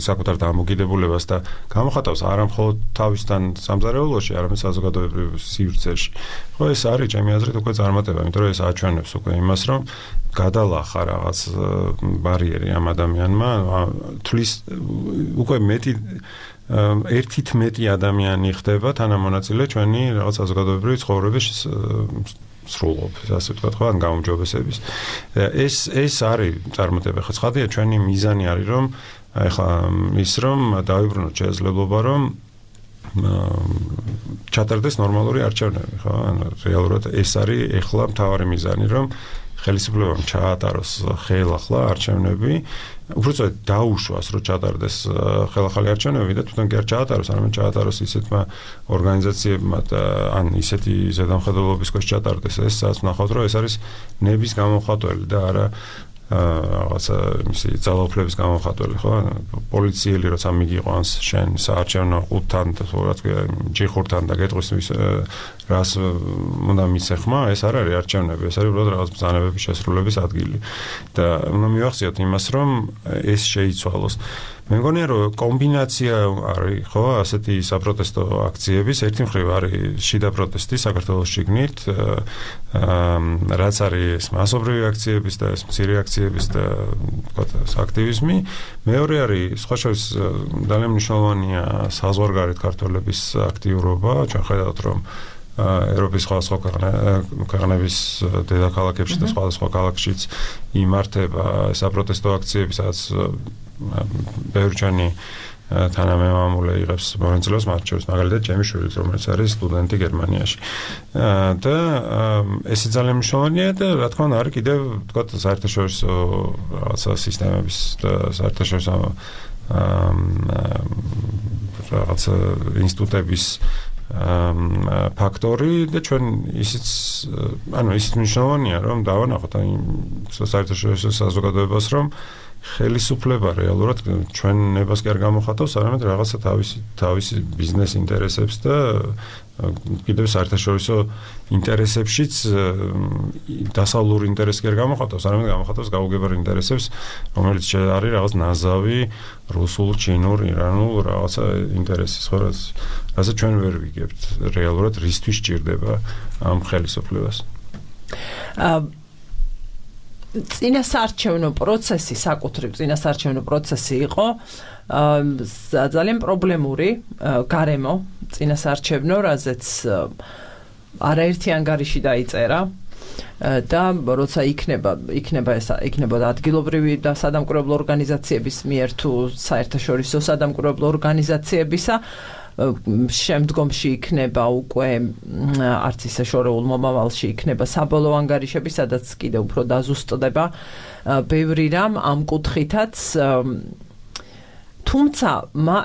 საკუთარ დამოკიდებულებას და გამოხატავს არა მხოლოდ თავისთან სამზარეულოში, არამედ საზოგადოებრივ სივრცეში. ხო, ეს არის ჩემი აზრით უკვე წარმატება, იმიტომ რომ ეს აჩვენებს უკვე იმას, რომ გადალახა რაღაც ბარიერი ამ ადამიანმა, თulis უკვე მეტი ერთით მეტი ადამიანი ხდება თანამონაწილე ჩვენი რაღაც საზოგადოებრივი ცხოვრების სრულყოფის, ასე ვთქვათ, ხო, ან გაუმჯობესების. ეს არის წარმატება. ხო, ცხადია, ჩვენი მიზანი არის, რომ ეხლა ის რომ დავიბრუნოთ შესაძლებლობა, რომ ჩატარდეს ნორმალური არჩევნები, ხო? ანუ რეალურად ეს არის ეხლა მთავარი მიზანი, რომ ხელისუფლებამ ჩაატაროს ხელახლა არჩევნები, უბრალოდ დაუშვას, რომ ჩატარდეს ხელახალი არჩევნები და თვითონ კი არ ჩაატაროს, არამედ ჩაატაროს ისეთმა ორგანიზაციებმა და ან ისეთი ზედამხედველობის ქვეშ ჩატარდეს ეს, სადაც ვნახავთ, რომ ეს არის ნების გამოხატველი და არა რაღაცა მისი ძალაუფლების გამოხატველი, ხო? პოლიციელი როცა მიგიყვანს შენ საარჩევნო ყუთთან და თორემ ჯიხურთან და გეტყვის რას უნდა მისეხმა, ეს არ არის არჩევნები, ეს არის უბრალოდ რაღაც ბრძანებების შესრულების ადგილი. და უნდა მივახციოთ იმას, რომ ეს შეიცვალოს. მე მგონია, რომ კომბინაცია არის, ხო, ასეთი საპროტესტო აქციების, ერთი მხრივ არის შიდა პროტესტი საქართველოს შიგნით, რაც არის მასობრივი აქციების და მცირე აქციების და ვთქვათ, აქტივიზმი. მეორე არის სხვა შორის ძალიან მნიშვნელოვანია საზღვარგარეთ ქართველების აქტიურობა, ჩვენ ხედავთ, რომ ევროპის სხვადასხვა ქვეყნების დედაქალაქებში და სხვადასხვა ქალაქშიც იმართება საპროტესტო აქციები, სადაც ბევრი ჩვენი თანამემამულე იღებს მონაწილეობას მათ შორის, მაგალითად ჩემი შვილი, რომელიც არის სტუდენტი გერმანიაში. და ესე ძალიან მნიშვნელოვანია და რა თქმა უნდა არის კიდევ ვთქვათ საერთაშორისო რაღაცა სისტემების და საერთაშორისო რაღაცა ინსტიტუტების ფაქტორი და ჩვენ ისიც მნიშვნელოვანია რომ დავანახოთ იმ საერთაშორისო საზოგადოებას რომ ხელისუფლება რეალურად ჩვენ ნებას კი არ გამოხატავს, არამედ რაღაცა თავისი ბიზნეს ინტერესებს და კიდევ საერთაშორისო ინტერესებშიც დასავლური ინტერესი კი არ გამოხატავს, არამედ გამოხატავს გაუგებარ ინტერესებს, რომელიც არის რაღაც ნაზავი რუსულ, ჩინურ, ირანულ რაღაცა ინტერესის, ხო, რასაც ჩვენ ვერ ვიგებთ რეალურად რისთვის ჭირდება ამ ხელისუფლებას. წინასაარჩევნო პროცესი, საკუთრივ წინასაარჩევნო პროცესი იყო ძალიან პრობლემური გარემო წინასაარჩევნო, რაზეც არაერთი ანგარიში დაიწერა და როცა იქნება ადგილობრივი და სადამკვირვებლო ორგანიზაციების მიერ თუ საერთაშორისო სადამკვირვებლო ორგანიზაციებისა შემდგომში იქნება უკვე არც ისე შორეულ მომავალში იქნება საბოლოო ანგარიშები, სადაც კიდევ უფრო დაზუსტდება ბევრი რამ ამ კუთხითაც თუმცა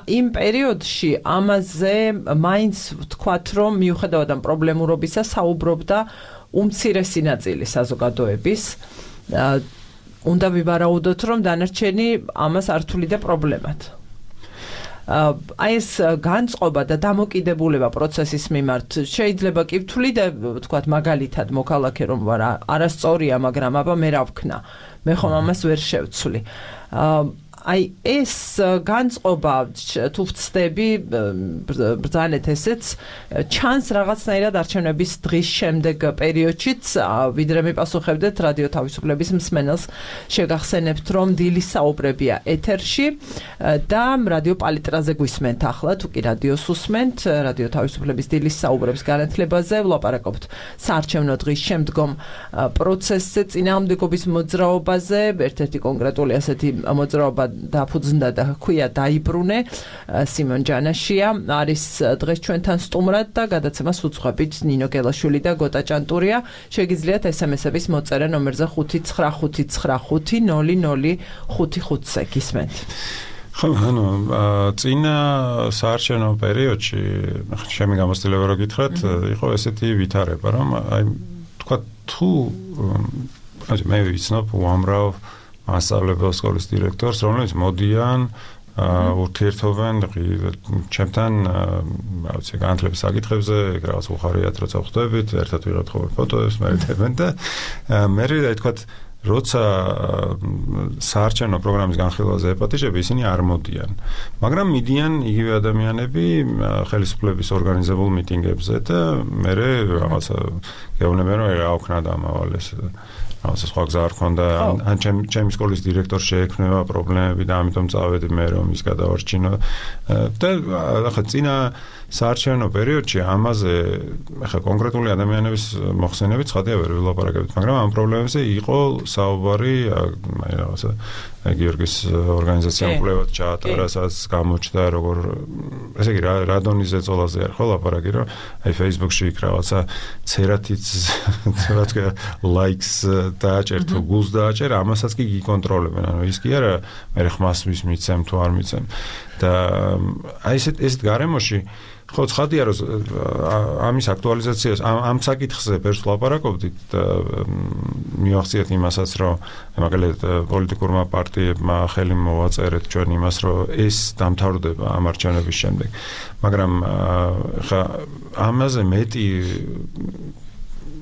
იმ პერიოდში ამაზე მაინც ვთქვათ, რომ მიუხედავად ამ პრობლემურობისა საუბრობდა უმცირესი ნაწილი საზოგადოების. უნდა ვივარაუდოთ, რომ დანარჩენი ამას არ თვლიდა პრობლემად. აი ეს განწყობა და დამოკიდებულება პროცესის მიმართ შეიძლება კი ვთვლიდე, ვთქვათ, მაგალითად მოქალაქე რომ ვარ, არასწორია, მაგრამ აბა მე რა ვქნა. მე ხომ ამას ვერ შევცვლი. აი ეს განწყობა თუ ვწდები ბრძანეთ ესეც ჩანს რაღაცნაირად არჩევნების დღის შემდეგ პერიოდშიც ვიდრე მიპასუხებდეთ რადიო თავისუფლების მსმენელს შეგახსენებთ რომ დილის საუბრებია ეთერში და რადიო პალიტრაზე გვისმენთ ახლა თუ კი რადიოს უსმენთ რადიო თავისუფლების დილის საუბრებს განათლებაზე ვლაპარაკობთ საარჩევნო დღის შემდგომ პროცესზე წინააღმდეგობის მოძრაობაზე ერთ-ერთი კონკრეტული ასეთი მოძრაობა დაფუძნდა და ჰქვია დაიბრუნე სიმონ ჯანაშია არის დღეს ჩვენთან სტუმრად და გადაცემას უძღვებით ნინო გელაშვილი და გოტა ჭანტურია შეგიძლიათ SMS-ების მოწერა ნომერზე 595500555-ზე გისმენთ ხო ანუ წინა საარჩევნო პერიოდში შემი გამოცდილება რო გითხრათ იყო ესეთი ვითარება რომ აი თქვა თუ მე ვიცნობ უამრავ მასწავლებელ სკოლის დირექტორს, რომელიც მოდიან, ურთიერთობენ ჩემთან, რა ვიცი, განათლების საკითხებზე, რაღაც უხარიათ, როცა ვხვდებით, ერთად ვიღებთ ხოლმე ფოტოებს, მერეთებენ და მე რა თქვა, როცა საარჩევნო პროგრამის განხილვაზე ეპატიჟები, ისინი არ მოდიან. მაგრამ მიდიან იგივე ადამიანები ხელისუფლების ორგანიზებულ მიტინგებზე და მე რაღაცა გეუბნებიან, რომ რა ვქნა დამავალეს რაღაცა სხვა გზა არ ქონდა ან ჩემი სკოლის დირექტორს შეექმნება პრობლემები და ამიტომ წავედი მე რომ ის გადავარჩინო და ახლა წინა საარჩევნო პერიოდში ამაზე ახლა კონკრეტული ადამიანების მოხსენებით ცხადია ვერ ვილაპარაკებთ მაგრამ ამ პრობლემებზე იყო საუბარი აი რაღაცა გიორგის ორგანიზაციამ კვლევად ჩაატარა სადაც გამოჩნდა როგორ ესე იგი რადონის ზეწოლაზე არ ხო ლაპარაკი რომ აი Facebook-ში იქ რაღაცა ცერათიც რა თქვა likes დააჭერ თუ გულს დააჭერ ამასაც კი გიკონტროლებენ ანუ ის კი არა მე ხმას მიცემ თუ არ მიცემ და აი ესეთ გარემოში ხო ცხადია რომ ამის აქტუალიზაციას ამ საკითხზე ბევრს ვლაპარაკობდით და მივახციეთ იმასაც რომ მაგალითად პოლიტიკურმა პარტიებმა ხელი მოვაწერეთ ჩვენ იმას რომ ეს დამთავრდება ამ არჩევნების შემდეგ მაგრამ ხა ამაზე მეტი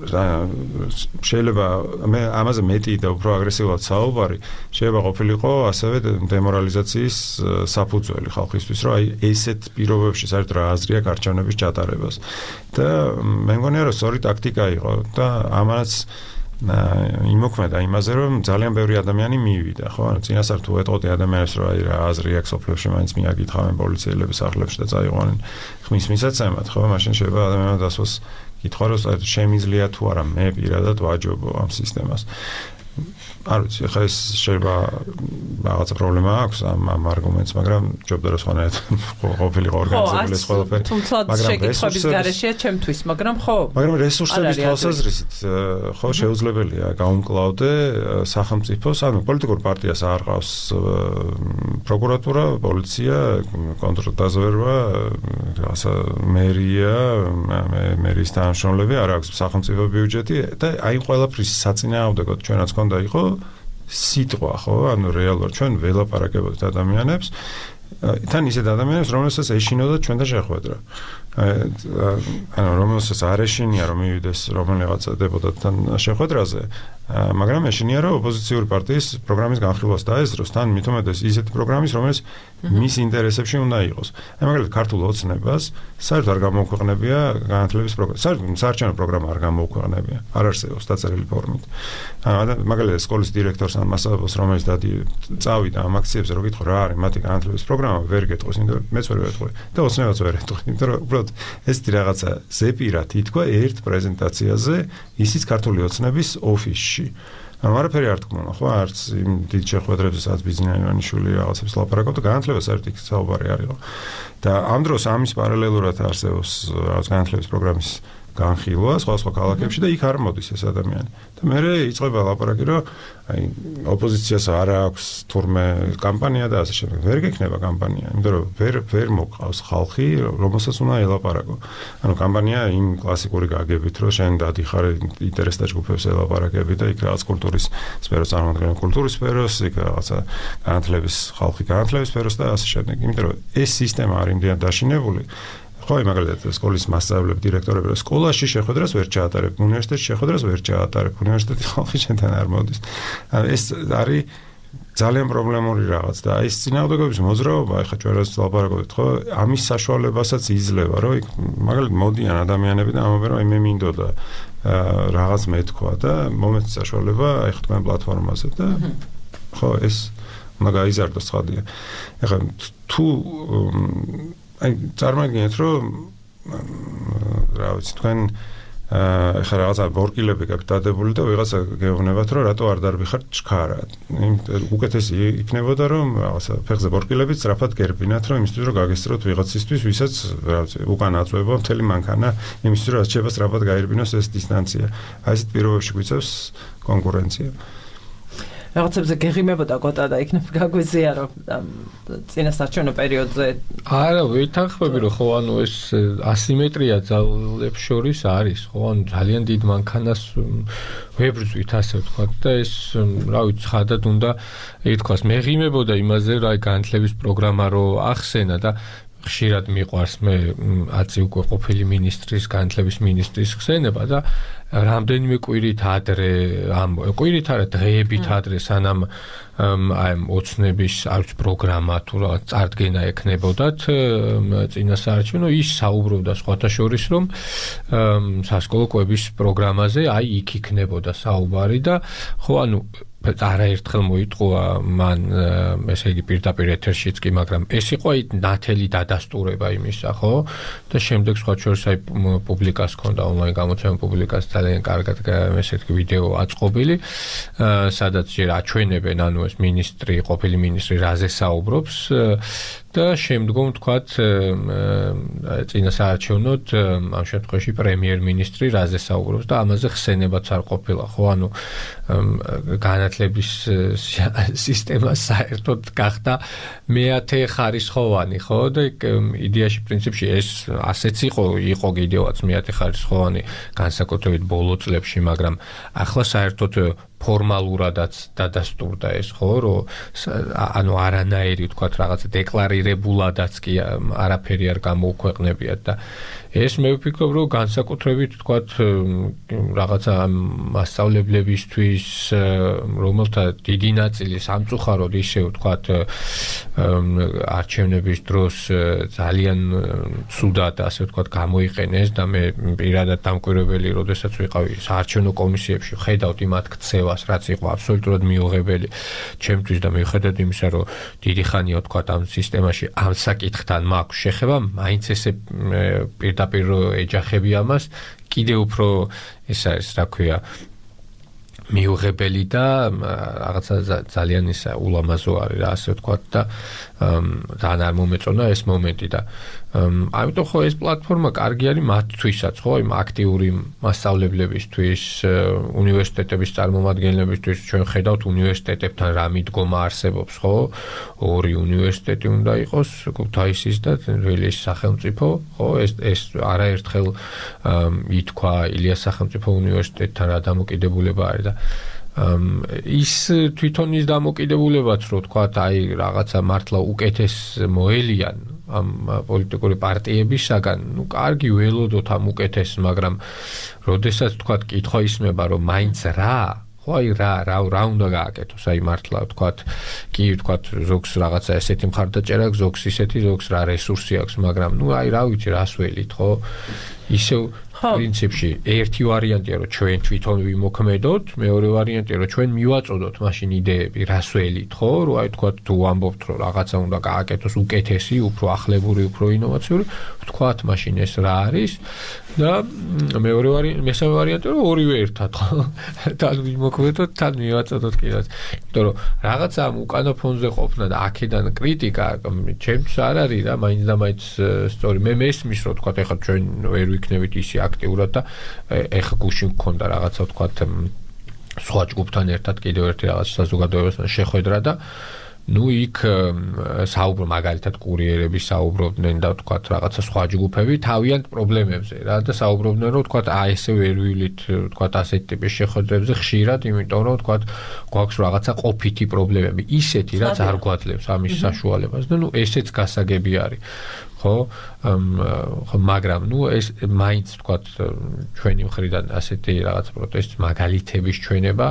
შეიძლება მე ამაზე მეტი და უფრო აგრესიულად საუბარი შეიძლება ყოფილიყო ასევე დემორალიზაციის საფუძველი ხალხისთვის რომ აი ესეთ პირობებში საერთოდ რა აზრია არჩევნების ჩატარებას და მე მგონია რომ სწორი ტაქტიკა იყო და ამანაც იმოქმედა იმაზე რომ ძალიან ბევრი ადამიანი მივიდა ხო ანუ წინასწარ თუ ეტყოდი ადამიანებს რომ აი რა აზრი აქვს სოფლიოში მაინც მიაკითხავენ პოლიციელების სახლებში და წაიყვანენ ხმის მისაცემად ხო მაშინ შეიძლება ადამიანმა დასვას კითხვა რომ შემიძლია თუ არა მე პირადად ვაჯობო ამ სისტემას არ ვიცი ხა ეს შეიძლება რაღაცა პრობლემა აქვს ამ არგუმენტს მაგრამ ჯობდა რომ სხვანაირად ყოფილიყო ორგანიზებული ეს ყველაფერი მაგრამ შეკითხების გარეშეა ჩემთვის მაგრამ მაგრამ რესურსების თვალსაზრისით ხო შეუძლებელია გაუმკლავდე სახელმწიფოს ანუ პოლიტიკურ პარტიას არ ყავს პროკურატურა პოლიცია კონტრდაზვერვა რაღაცა მერია მერის თანამშრომლები არ აქვს სახელმწიფო ბიუჯეტი და აი ყველაფრის საწინააღმდეგოდ ჩვენაც ქონდა იყო სიტყვა ხო ანუ რეალურად ჩვენ ველაპარაკებოდით ადამიანებს თან ისეთ ადამიანებს რომელსაც ეშინოდა ჩვენ და შეხვედრა ანუ რომელსაც არ ეშინია რომ მივიდეს რომელიღაცა დეპუტატთან შეხვედრაზე მაგრამ ეშინია რომ ოპოზიციური პარტიის პროგრამის განხილვას დაესწროს თან მithumetes ისეთი პროგრამის რომელიც მის ინტერესებში უნდა იყოს აი მაგალითად ქართულ ოცნებას საერთოდ არ გამოუქვეყნებია განათლების პროგრამა საერთოდ საარჩევნო პროგრამა არ გამოუქვეყნებია არ არსებობს დაწერილი ფორმით მაგალითად სკოლის დირექტორს ან მასწავლებელს რომელიც წავიდა ამ აქციებზე რომ გითხო რა არის მათი განათლების პროგრამა ვერ გეტყვის იმიტომ მეც ვერ ვეტყვი და ოცნებაც ვერ ეტყვი იმიტომ რომ უბრალოდ ლაპარაკობთ. ეს რაღაცა ზეპირად ითქვა ერთ პრეზენტაციაზე ისიც ქართული ოცნების ოფისში. არაფერი არ თქვა, ხო, არც იმ დიდ შეხვედრებზე, სადაც ბიზნიანი ივანიშვილი რაღაცებს ლაპარაკობდა, განათლება საერთოდ იქ საუბარი არისო. და ამ დროს ამის პარალელურად არსებობს რაღაც განათლების პროგრამის განხილვა სხვა ქალაქებში და იქ არ მოდის ეს ადამიანი. და მე იწყება ლაპარაკი, რომ აი ოპოზიციას არ აქვს თურმე კამპანია და ასე შემდეგ. ვერ გექნება კამპანია, იმიტომ რომ ვერ მოყავს ხალხი, რომელსაც უნდა ელაპარაკო. ანუ კამპანია იმ კლასიკური გაგებით, რომ შენ დადიხარ ინტერესთა ჯგუფებს ელაპარაკები და იქ რაღაც კულტურის სფეროს წარმოადგენენ კულტურის სფეროს, იქ რაღაცა განათლების ხალხი განათლების სფეროს და ასე შემდეგ. იმიტომ რომ ეს სისტემა არ იმდენად დაშინებული ხო, მაგალითად, სკოლის მასწავლებლები, დირექტორები, სკოლაში შეხვედრას ვერ ჩაატარებ, უნივერსიტეტში შეხვედრას ვერ ჩაატარებ, უნივერსიტეტი ხალხი შენთან არ მოდის. ეს არის ძალიან პრობლემური რაღაც და ეს წინააღმდეგობის მოძრაობა, ეხლა ჩვენ რაც ლაპარაკობთ, ხო, ამის საშუალებასაც იძლევა, რომ მაგალითად მოდიან ადამიანები და ამბობენ, რომ მე მინდოდა რაღაც მეთქვა და მომეც საშუალება, ეხლა თქვენ პლატფორმაზე და ხო, ეს უნდა გაიზარდოს ცხადია. ეხლა თუ აი წარმოგიდგენთ რომ რა ვიცი თქვენ ეხლა რაღაცა ბორკილები გაქვთ დადებული და ვიღაცა გეუბნებათ რომ რატო არ დარბიხართ ჩქარად. უკეთესი იქნებოდა რომ რაღაცა ფეხზე ბორკილები სწრაფად გერბინათ რომ იმისთვის რომ გაგესწროთ ვიღაცისთვის ვისაც რა ვიცი უკან აწვება მთელი მანქანა იმისთვის რომ შეიძლება სწრაფად გაერბინოს ეს დისტანცია. აი ესეთ პირობებში გვიწევს კონკურენცია. რაღაცებზე გეღიმებოდა გოტა და იქნებ გაგვიზია რომ წინასარჩევნო პერიოდზე არა ვითანხმები რომ ხო ანუ ეს ასიმეტრია ძალებს შორის არის ხო ანუ ძალიან დიდ მანქანას ვებრძვით ასე ვთქვათ და ეს რა ვიცი ხადად უნდა ითქვას მეღიმებოდა იმაზე რა განათლების პროგრამა რო ახსენა და ხშირად მიყვარს მე აცი უკვე ყოფილი მინისტრის განათლების მინისტრის ხსენება და რამდენიმე კვირით ადრე კვირით არა დღეებით ადრე სანამ აი ოცნების არც პროგრამა თუ რა წარდგენა ექნებოდათ წინასაარჩევნო ის საუბრობდა სხვათა შორის რომ სასკოლო კვების პროგრამაზე აი იქ იქნებოდა საუბარი და ხო ანუ არაერთხელ მოიტყვა მან ესე იგი პირდაპირ ეთერშიც კი მაგრამ ეს იყო აი ნათელი დადასტურება იმისა ხო და შემდეგ სხვა შორის აი პუბლიკას ჰქონდა ონლაინ გამოცემა პუბლიკას ძალიან კარგად ესეთი ვიდეო აწყობილი სადაც ჯერ აჩვენებენ ანუ ეს მინისტრი ყოფილი მინისტრი რაზე საუბრობს და შემდგომ თქვათ წინასაარჩევნოდ ამ შემთხვევაში პრემიერ-მინისტრი რაზე საუბრობს და ამაზე ხსენებაც არ ყოფილა ხო ანუ განათლების სისტემა საერთოდ გახდა მეათე ხარისხოვანი ხო და იდეაში პრინციპში ეს ასეც იყო კიდევაც მეათე ხარისხოვანი განსაკუთრებით ბოლო წლებში მაგრამ ახლა საერთოდ ფორმალურადაც დადასტურდა ეს ხო რომ ანუ არანაირი თქვათ რაღაც დეკლარირებულადაც კი არაფერი არ გამოუქვეყნებიათ და ეს მე ვფიქრობ რომ განსაკუთრებით თქვათ რაღაცა მასწავლებლებისთვის რომელთა დიდი ნაწილი სამწუხაროდ ისე ვთქვათ არჩევნების დროს ძალიან ცუდად ასე ვთქვათ გამოიყენეს და მე პირადად დამკვირვებელი როდესაც ვიყავი საარჩევნო კომისიებში ხედავთ იმათ ქცევას რაც იყო აბსოლუტურად მიუღებელი ჩემთვის და მიუხედავად იმისა რომ დიდი ხანია ვთქვათ ამ სისტემაში ამ საკითხთან მაქვს შეხება მაინც ესე პირდაპირ ეჯახები ამას კიდე უფრო ეს არის რა ქვია მიუღებელი და რაღაცა ძალიან ისა ულამაზო არის რა ასე ვთქვათ და ძალიან არ მომეწონა ეს მომენტი და ამიტომ ხო ეს პლატფორმა კარგი არის მათთვისაც ხო იმ აქტიური მასწავლებლებისთვის უნივერსიტეტების წარმომადგენლებისთვის ჩვენ ხედავთ უნივერსიტეტებთან რა მიდგომა არსებობს ხო ორი უნივერსიტეტი უნდა იყოს ქუთაისის და თბილისის სახელმწიფო ხო ეს არაერთხელ ითქვა ილიას სახელმწიფო უნივერსიტეტთან რა დამოკიდებულება არის და ის თვითონ ის დამოკიდებულებაც რო თქვათ აი რაღაცა მართლა უკეთეს მოელიან ამ პოლიტიკური პარტიებისაგან ნუ კარგი ველოდოთ ამ უკეთეს მაგრამ როდესაც თქვათ კითხვა ისმება რომ მაინც რა ხო აი რა უნდა გააკეთოს აი მართლა თქვათ კი თქვათ ზოგს რაღაცა ესეთი მხარდაჭერა ზოგს ისეთი ზოგს რა რესურსი აქვს მაგრამ ნუ აი რა ვიცი რას ველით ხო ისევ პრინციპში ერთი ვარიანტია რომ ჩვენ თვითონ ვიმოქმედოთ, მეორე ვარიანტია რომ ჩვენ მივაწოდოთ მაშინ იდეები, რას ველით, ხო? რომ აი თქვა თუ ამბობთ რომ რაღაცა უნდა გააკეთოს უკეთესი, უფრო ახლებური, უფრო ინოვაციური, თქვათ მაშინ ეს რა არის და მესამე ვარიანტია რომ ორივე ერთად, ხო? თან ვიმოქმედოთ, თან მივაწოდოთ კიდეც. იმიტომ რომ რაღაცა უკანა ფონზე ყოფნა და აქედან კრიტიკა ჩემთვის არ არის და მაინც და მაინც სწორი. მე მესმის რომ თქვა ეხლა ჩვენ ვერ ვიქნებით ისე აქტიურად და ეხლა გუშინ მქონდა რაღაცა თქვა სხვა ჯგუფთან ერთად კიდევ ერთი რაღაც საზოგადოებასთან შეხვედრა და იქ მაგალითად კურიერები საუბრობდნენ და თქვა რაღაცა სხვა ჯგუფები თავიანთ პრობლემებზე რა და საუბრობდნენ რომ თქვა ესე ვერ ვივლით თქვა ასეთ ტიპის შეხვედრებზე ხშირად, იმიტომ რომ თქვა გვაქვს რაღაცა ყოფითი პრობლემები, ისეთი რაც არ გვაძლევს ამის საშუალებას და ესეც გასაგები არის. ხო, მაგრამ ეს მაინც თქვა ჩვენი მხრიდან ასეთი რაღაც პროტესტის მაგალითების ჩვენება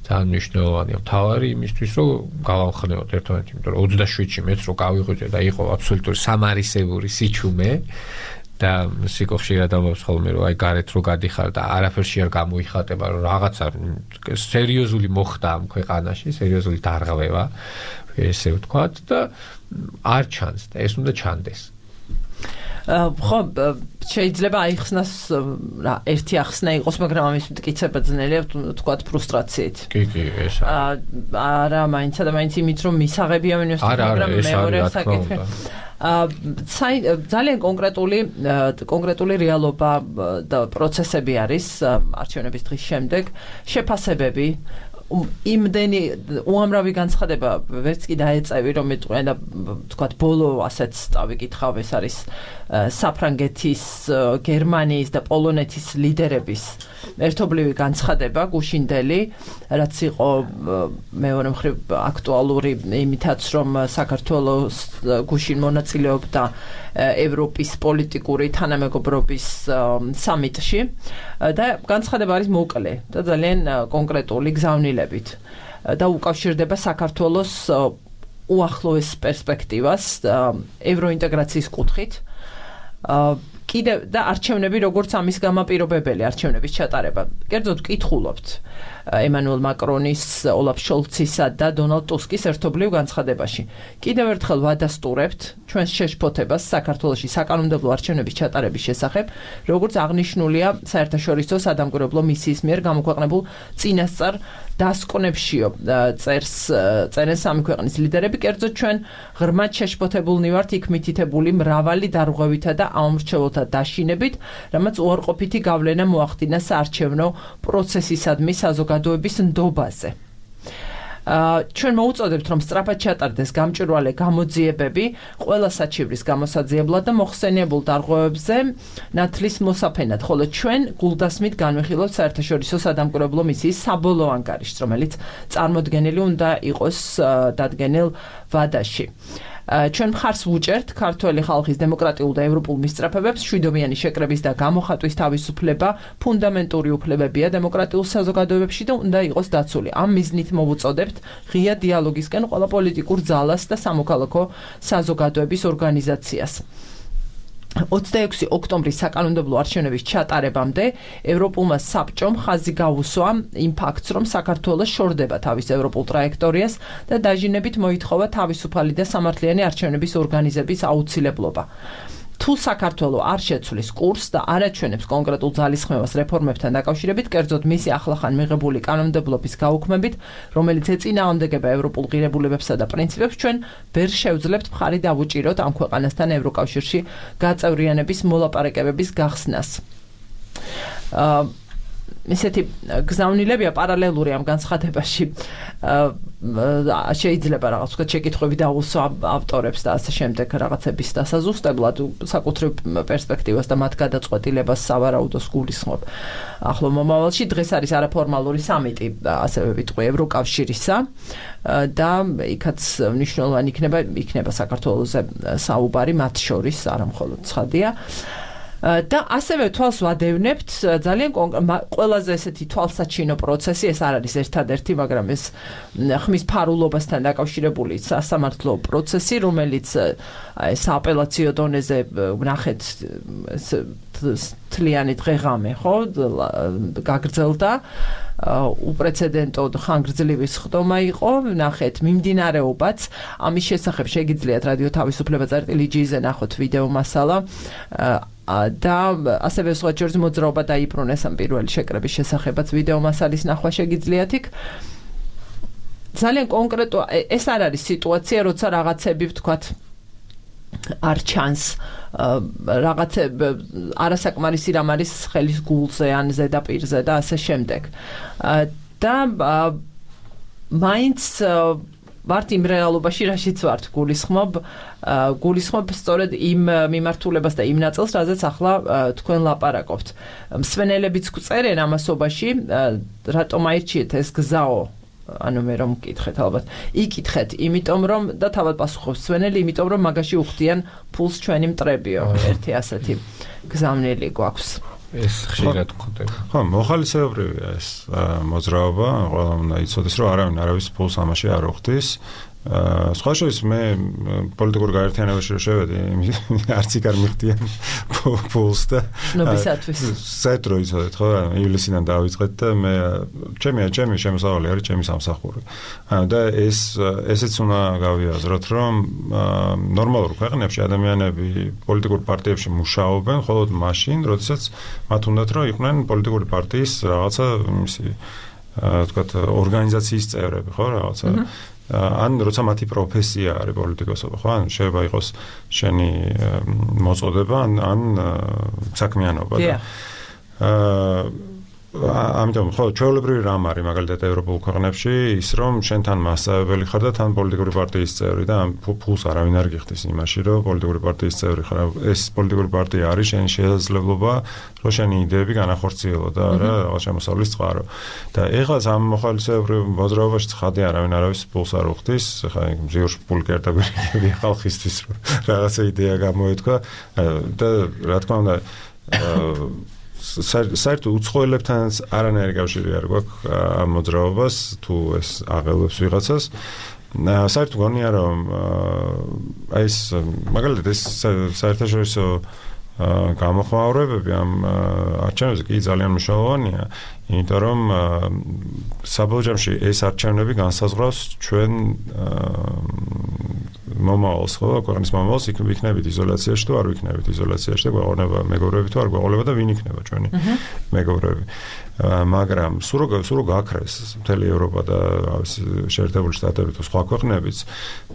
ძალიან მნიშვნელოვანია. მთავარი იმისთვის რომ გავამხნევოთ ერთმანეთს, იმიტომ რომ 27-ში მეც რო გავიღვიძე და იყო აბსოლუტური სამარისებური სიჩუმე და სიკო ხშირად ამბობს ხოლმე რომ აი გარეთ რო გადიხარ და არაფერში არ გამოიხატება რომ რაღაცა სერიოზული მოხდა ამ ქვეყანაში, სერიოზული დარღვევა, ესე ვთქვათ და არ ჩანს და ეს უნდა ჩანდეს. ხო, შეიძლება აიხსნას რა ერთი ახსნა იყოს, მაგრამ ამის მტკიცება ძნელია ვთქვათ ფრუსტრაციით. კი, ეს არა, მაინც და მაინც იმით რომ მისაღებია მინოს, მაგრამ მეორე საკითხი. ძალიან კონკრეტული რეალობა და პროცესები არის არჩევნების დღის შემდეგ, შეფასებები იმდენი უამრავი განცხადება ვერც კი დაეწევი რომ მეტყვია და თქვათ ბოლო ასეთ წავიკითხავ ეს არის საფრანგეთის, გერმანიის და პოლონეთის ლიდერების ერთობლივი განცხადება გუშინდელი, რაც იყო მეორე მხრივ აქტუალური იმითაც რომ საქართველოს გუშინ მონაწილეობდა ევროპის პოლიტიკური თანამეგობრობის სამიტში და განცხადება არის მოკლე და ძალიან კონკრეტული გზავნილებით და უკავშირდება საქართველოს უახლოეს პერსპექტივას ევროინტეგრაციის კუთხით კიდევ და არჩევნები როგორც ამის გამაპირობებელი არჩევნების ჩატარება. კერძოდ ვკითხულობთ ემანუელ მაკრონის, ოლაფ შოლცისა და დონალდ ტუსკის ერთობლივ განცხადებაში. კიდევ ერთხელ ვადასტურებთ ჩვენს შეშფოთებას საქართველოში საკანონმდებლო არჩევნების ჩატარების შესახებ, როგორც აღნიშნულია საერთაშორისო სადამკვირვებლო მისიის მიერ გამოქვეყნებულ წინასწარ დასკვნებშიო წერენ სამი ქვეყნის ლიდერები, კერძოდ ჩვენ ღრმად შეშფოთებულნი ვართ იქ მითითებული მრავალი დარღვევითა და აუმრჩეველთა დაშინებით, რამაც უარყოფითი გავლენა მოახდინა საარჩევნო პროცესისადმი საზოგადოების ნდობაზე. ჩვენ მოუწოდებთ რომ სწრაფად ჩატარდეს გამჭვირვალე გამოძიებები ყველა საჩივრის გამოსაძიებლად და მოხსენიებულ დარღვევებზე ნათლის მოსაფენად, ხოლო ჩვენ გულდასმით განვიხილავთ საერთაშორისო სადამკვირვებლო მისიის საბოლოო ანგარიშს, რომელიც წარმოდგენილი უნდა იყოს დადგენილ ვადაში. ჩვენ მხარს ვუჭერთ ქართველი ხალხის დემოკრატიულ და ევროპულ მისწრაფებებს, მშვიდობიანი შეკრების და გამოხატვის თავისუფლება ფუნდამენტური უფლებებია დემოკრატიულ საზოგადოებებში და უნდა იყოს დაცული. ამ მიზნით მოვუწოდებთ ღია დიალოგისკენ ყველა პოლიტიკურ ძალას და სამოქალაქო საზოგადოების ორგანიზაციას. 26 ოქტომბრის საკანონმდებლო არჩევნების ჩატარებამდე ევროპულმა საბჭომ ხაზი გაუსვა იმ ფაქტს, რომ საქართველოს შორდება თავის ევროპულ ტრაექტორიას და დაჟინებით მოითხოვა თავისუფალი და სამართლიანი არჩევნების ორგანიზების აუცილებლობა. თუ საქართველო არ შეცვლის კურსს და არ აჩვენებს კონკრეტულ ძალისხმევას რეფორმებთან დაკავშირებით, კერძოდ მისი ახლახან მიღებული კანონმდებლობის გაუქმებით, რომელიც ეწინააღმდეგება ევროპულ ღირებულებებსა და პრინციპებს, ჩვენ ვერ შევძლებთ მხარი დავუჭიროთ ამ ქვეყანასთან ევროკავშირში გაწევრიანების მოლაპარაკებების გახსნას. ისეთი გზავნილებია პარალელური ამ განცხადებაში. შეიძლება რაღაც ვთქვათ შეკითხვები დაუსვა ავტორებს და ასე შემდეგ რაღაცების დასაზუსტებლად საკუთრივ პერსპექტივას და მათ გადაწყვეტილებას სავარაუდოს გულისხმობ. ახლო მომავალში დღეს არის არაფორმალური სამიტი, ასევე ვიტყვი ევროკავშირისა და იქაც მნიშვნელოვანი იქნება საქართველოზე საუბარი მათ შორის, არა მხოლოდ ცხადია. და ასევე თვალს ვადევნებთ ძალიან ყველაზე ესეთი თვალსაჩინო პროცესი, ეს არ არის ერთადერთი, მაგრამ ეს ხმის ფარულობასთან დაკავშირებული სასამართლო პროცესი, რომელიც სააპელაციო დონეზე ვნახეთ თლიანი დღე-ღამე, ხო, გაგრძელდა. უპრეცედენტო ხანგრძლივი სხდომა იყო, ნახეთ, მიმდინარეობაც, ამის შესახებ შეგიძლიათ რადიო თავისუფლება წერტილი.gz-ზე ნახოთ ვიდეო მასალა და ასევე სხვა ჯერს მოძრაობა დაიბრუნეს ამ პირველი შეკრების შესახებაც ვიდეო მასალის ნახვა შეგიძლიათ იქ. ძალიან კონკრეტო ეს არ არის სიტუაცია, როცა რაღაცები ვთქვათ არ ჩანს რაღაცა არასაკმარისი რამ არის ხელის გულზე ან ზედაპირზე და ასე შემდეგ. და მაინც ვართ იმ რეალობაში, რაშიც ვართ, გულისხმობ სწორედ იმ მიმართულებას და იმ ნაწილს, რაზეც ახლა თქვენ ლაპარაკობთ. მსვენელებიც გვწერენ ამასობაში, რატომ აირჩიეთ ეს გზაო? ანუ მე რომ მკითხეთ ალბათ. იკითხეთ, იმიტომ რომ და თავად პასუხობს მსვენელი, იმიტომ რომ მაგაში უხდიან ფულს ჩვენი მტრებიო. ერთი ასეთი გზავნილი გვაქვს. ეს ხშირად გვხდება. ხო, მოხალისეობრივია ეს მოძრაობა, ყველა უნდა იცოდეს, რომ არავის ფულს ამაში არ უხდის. სხვა შორის მე პოლიტიკურ გაერთიანებაში რომ შევედი, არც იქ არ მიხდიან ფულს და ნობისათვის. საერთოდ რო იცოდეთ, ხო, ივლისიდან დავიწყეთ და მე ჩემი შემოსავალი არის ჩემი სამსახური. და ესეც უნდა გავიაზროთ, რომ ნორმალურ ქვეყნებში ადამიანები პოლიტიკურ პარტიებში მუშაობენ, მხოლოდ მაშინ, როდესაც მათ უნდათ რომ იყვნენ პოლიტიკური პარტიის რაღაცა იმისი, ვთქვათ, ორგანიზაციის წევრები, ხო, რაღაცა ან როცა მათი პროფესია არის პოლიტიკოსობა, ხო? ან შეიძლება იყოს შენი მოწოდება, ან საქმიანობა და ამიტომ ხო, ჩვეულებრივი რამ არის მაგალითად ევროპულ ქვეყნებში ის რომ შენ თან მასწავლებელი ხარ და თან პოლიტიკური პარტიის წევრი და ამ ფულს არავინ არ გიხდის იმაში რომ პოლიტიკური პარტიის წევრი ხარ. ეს პოლიტიკური პარტია არის შენი შესაძლებლობა რომ შენი იდეები განახორციელო და რა რაღაც შემოსავლის წყარო. და ეხლა ამ მოხალისეობრივ მოძრაობაში ცხადია არავის ფულს არ უხდის. ხა მზიურში ფული კერტაბირები ხალხისთვის რომ რაღაცა იდეა გამოეთქვა და რა თქმა უნდა საერთოდ უცხოელებთანაც არანაირი კავშირი არ გვაქვს ამ მოძრაობას თუ ეს აღელვებს ვიღაცას. საერთოდ გონია რომ აი ეს მაგალითად ეს საერთაშორისო გამოხმაურებები ამ არჩევნებზე კი ძალიან მნიშვნელოვანია, იმიტომ რომ საბოლოო ჯამში ეს არჩევნები განსაზღვრავს ჩვენ მომავალს, ხო, ქვეყნის მომავალს, იქნებით იზოლაციაში თუ არ ვიქნებით იზოლაციაში და გვეყოლება მეგობრები თუ არ გვეყოლება და ვინ იქნება ჩვენი მეგობრები. მაგრამ სულ რო გაქრეს მთელი ევროპა და შეერთებული შტატები თუ სხვა ქვეყნებიც,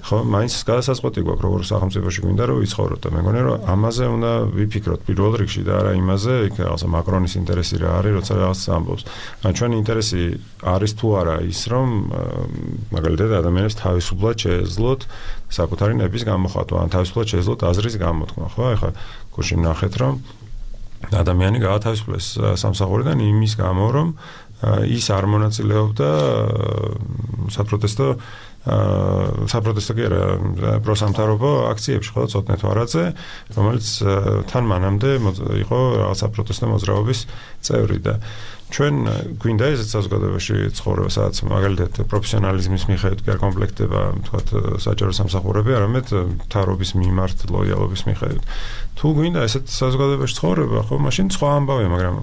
ხო, მაინც გადასაწყვეტი გვაქვს როგორ სახელმწიფოში გვინდა რომ ვიცხოვროთ და მე მგონი რომ ამაზე უნდა ვიფიქროთ პირველ რიგში და არა იმაზე, იქ რაღაცა მაკრონის ინტერესი რა არის, როცა რაღაცა ამბობს. ჩვენი ინტერესი არის თუ არა ის რომ მაგალითად ადამიანებს თავისუფლად შეეძლოთ საკუთარი ნების გამოხატვა, ან თავისუფლად შეეძლოთ აზრის გამოთქმა, ხო? ეხლა გუშინ ნახეთ რომ ადამიანი გაათავისუფლეს სამსახურიდან იმის გამო, რომ ის არ მონაწილეობდა საპროტესტო კი არა, პროსამთავრობო აქციებში, ხო, წოდნეთ ვარაძე, რომელიც თან მანამდე იყო რაღაც საპროტესტო მოძრაობის წევრი და ჩვენ გვინდა ესეც საზოგადოებაში ცხოვრება, სადაც მაგალითად პროფესიონალიზმის მიხედვით კი არ კომპლექტდება, თქვათ, საჯარო სამსახურები, არამედ მთავრობის მიმართ ლოიალობის მიხედვით. თუ გვინდა ესეთ საზოგადოებაში ცხოვრება, ხო, მაშინ სხვა ამბავია, მაგრამ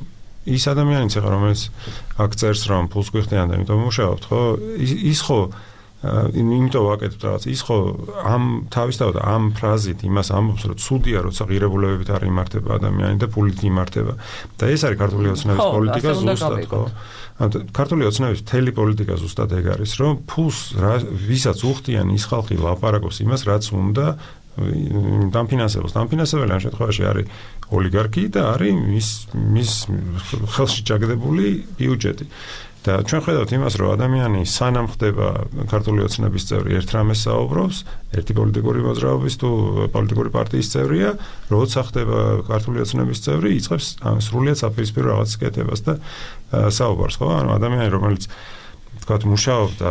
ის ადამიანიც ახლა რომელიც აქ წერს რომ ფულს გვიხდიან და იმიტომ მუშაობთ, ხო, ის ხო იმიტომ ვაკეთებ რაღაც, ის ხო ამ თავისთავად ამ ფრაზით იმას ამბობს, რომ ცუდია, როცა ღირებულებებით არ იმართება ადამიანი და ფულით იმართება. და ეს არის ქართული ოცნების პოლიტიკა ზუსტად, ხო? ქართული ოცნების მთელი პოლიტიკა ზუსტად ეგ არის, რომ ფულს ვისაც უხდიან ის ხალხი ლაპარაკობს იმას, რაც უნდა დამფინანსებელს. დამფინანსებელი ამ შემთხვევაში არის ოლიგარქი და არის მის ხელში ჩაგდებული ბიუჯეტი. და ჩვენ ხედავთ იმას, რომ ადამიანი სანამ ხდება ქართული ოცნების წევრი, ერთ რამეს საუბრობს, ერთი პოლიტიკური მოძრაობის თუ პოლიტიკური პარტიის წევრია, როცა ხდება ქართული ოცნების წევრი, იწყებს სრულიად საპირისპირო რაღაც კეთებას და საუბარს, ხო? ანუ ადამიანი, რომელიც თქვათ მუშაობდა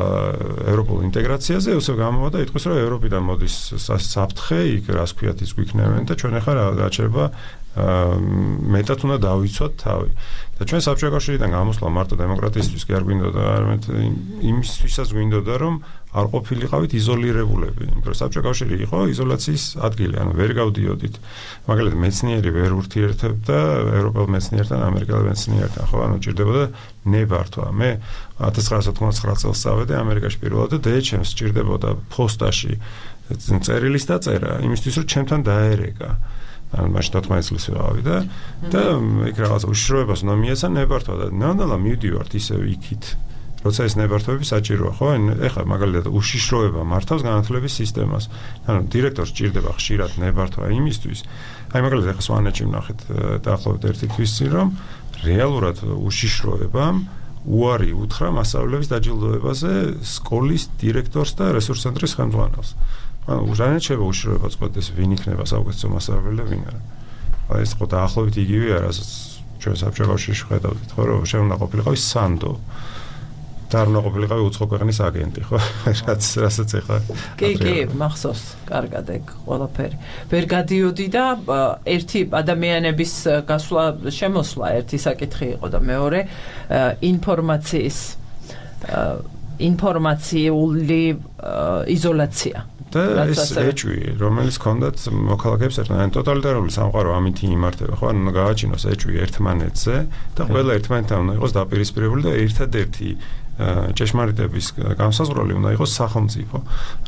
ევროპულ ინტეგრაციაზე, უსე გამოვა და იტყვის, რომ ევროპიდან მოდის საფრთხე, იქ რას ქვიათ ის გვიქნევენ და ჩვენ ახლა გაჩერება მეტად უნდა დავიცვათ თავი. და ჩვენ საბჭოთა კავშირიდან გამოსვლა მარტო დემოკრატიისთვის კი არ გვინდოდა, არამედ იმისთვისაც გვინდოდა, რომ არ ყოფილიყავით იზოლირებულები. იმიტომ რომ საბჭოთა კავშირი იყო იზოლაციის ადგილი, ანუ ვერ გავდიოდით. მაგალითად, მეცნიერი ვერ ურთიერთებდა ევროპელ მეცნიერთან, ამერიკელ მეცნიერთან, ხო, ანუ ჭირდებოდა ნებართვა. მე 1999 წელს წავედი ამერიკაში პირველად და დეეჩემს ჭირდებოდა ფოსტაში წერილის დაწერა, იმისთვის რომ ჩემთან დაერეკა. ან მაშინ 14 წლის ვიყავი და იქ რაღაც უშიშროებას უნდა მიეცა ნებართვა და ნამდვილად მივდივართ ისევ იქით. როცა ეს ნებართვები საჭიროა, ხო? ეხლა მაგალითად უშიშროება მართავს განათლების სისტემას. ანუ დირექტორს ჭირდება ხშირად ნებართვა იმისთვის. აი მაგალითად ეხლა სვანეთში ვნახეთ დაახლოებით ერთი თვის წინ რომ რეალურად უშიშროებამ უარი უთხრა მასწავლებლების დაჯილდოებაზე სკოლის დირექტორს და რესურს ცენტრის ხელმძღვანელს. ანუ ჟანეთ შევა უშიშროება წყვეტეს ვინ იქნება საუკეთესო მასწავლებელი და ვინ არა. აი ეს ხო დაახლოებით იგივე არასაც ჩვენ საბჭოთა კავშირში ხედავდით, ხო რომ შენ უნდა ყოფილიყავი სანდო. და არ უნდა ყოფილიყავი უცხო ქვეყნის აგენტი, ხო? რასაც ეხლა. კი, მახსოვს, კარგად ეგ ყველაფერი. ვერ გადიოდი და ერთი ადამიანების გასვლა, შემოსვლა ერთი საკითხი იყო და მეორე ინფორმაციული იზოლაცია. და ეს ეჭვი, რომელიც ჰქონდათ მოქალაქეებს ერთმანეთთან, ტოტალიტარული სამყარო ამით იმართება, ხო? ანუ გააჩინოს ეჭვი ერთმანეთზე და ყველა ერთმანეთთან უნდა იყოს დაპირისპირებული და ერთადერთი ჭეშმარიტების განსაზღვრელი უნდა იყოს სახელმწიფო.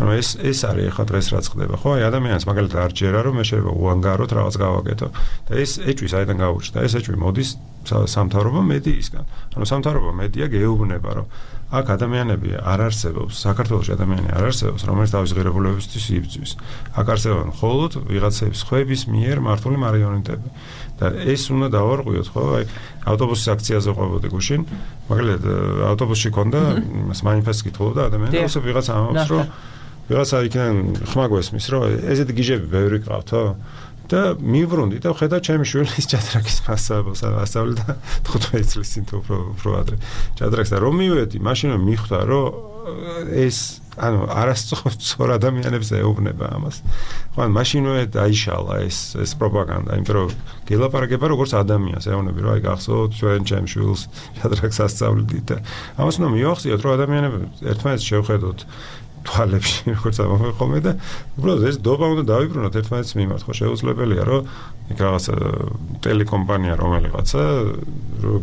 ანუ ეს არის ახლა დღეს რაც ხდება, ხო? აი ადამიანს მაგალითად არ ჯერა რომ მე შეიძლება უანგაროთ რაღაც გავაკეთო და ეს ეჭვი საიდან გაუჩნდა? ეს ეჭვი მოდის სამთავრობო მედიისგან. ანუ სამთავრობო მედია გეუბნება რომ აქ ადამიანები არ არსებობს, საქართველოში ადამიანი არ არსებობს, რომელიც თავის ღირებულებებისთვის იბრძვის. აქ არსებობენ მხოლოდ ვიღაცების ხვების მიერ მართული მარიონეტები. და ეს უნდა დავარღვიოთ, ხო? აი ავტობუსის აქციაზე ყვებოდი გუშინ, მაგალითად ავტობუსში ქონდა იმას მანიფესტს კითხულობდა ადამიანი, ასე ვიღაცა ამბობს, რომ ვიღაცა იქიდან ხმა გვესმის, რომ ესეთი გიჟები ბევრი ყავთო? და მივბრუნდი და ხედავ ჩემი შვილის ჭადრაკის მასწავლებელს ასწავლე და 15 წლის წინ თუ უფრო ადრე ჭადრაკს და რომ მივედი მაშინ მიხვდა რომ ეს ანუ არასწორ ადამიანებს ეუბნება ამას. ხო ან მაშინვე დაიშალა ეს პროპაგანდა, იმიტომ რომ გელაპარაკება როგორც ადამიანს, ეუბნები რომ აი გახსოვთ ჩვენ ჩემ შვილს ჭადრაკს ასწავლდით და ამას უნდა მივახციოთ რომ ადამიანები ერთმანეთს შევხედოთ თვალებში როგორც ამბობენ ხოლმე და უბრალოდ ეს დობა უნდა დავიბრუნოთ ერთმანეთის მიმართ, ხო შეუძლებელია რომ იქ რაღაც ტელეკომპანია რომელიღაცა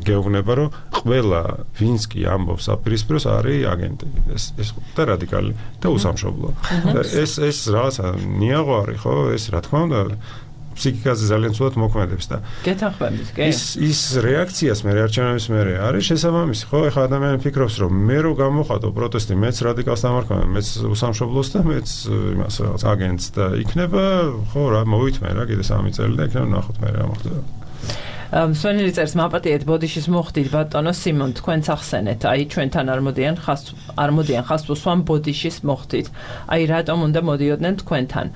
გეუბნება რომ ყველა ვინც კი ამბობს აპირისპიროს არის აგენტი. ეს და რადიკალი და უსამშობლო. და ეს რაღაცა ნიაღო არის, ხო? ეს რა თქმა უნდა ფსიქიკაზე ძალიან ცუდად მოქმედებს და გეთანხმებით, კი? ის რეაქციას მე არჩევნების მერე არის შესაბამისი, ხო? ეხლა ადამიანი ფიქრობს, რომ მე რო გამოხატო პროტესტი, მეც რადიკალს დამარხმევ, მეც უსამშობლოს და მეც იმას რაღაც აგენტს და იქნება, ხო, რა მოვითმე რა, კიდე 3 წელი და იქნება ნახოთ მე რა მოხდება. სვენელი წერს მაპატიეთ ბოდიშის მოხდით ბატონო სიმონ თქვენც ახსენეთ აი ჩვენთან არ მოდიან ხას უსვამ ბოდიშის მოხდით აი რატომ უნდა მოდიოდნენ თქვენთან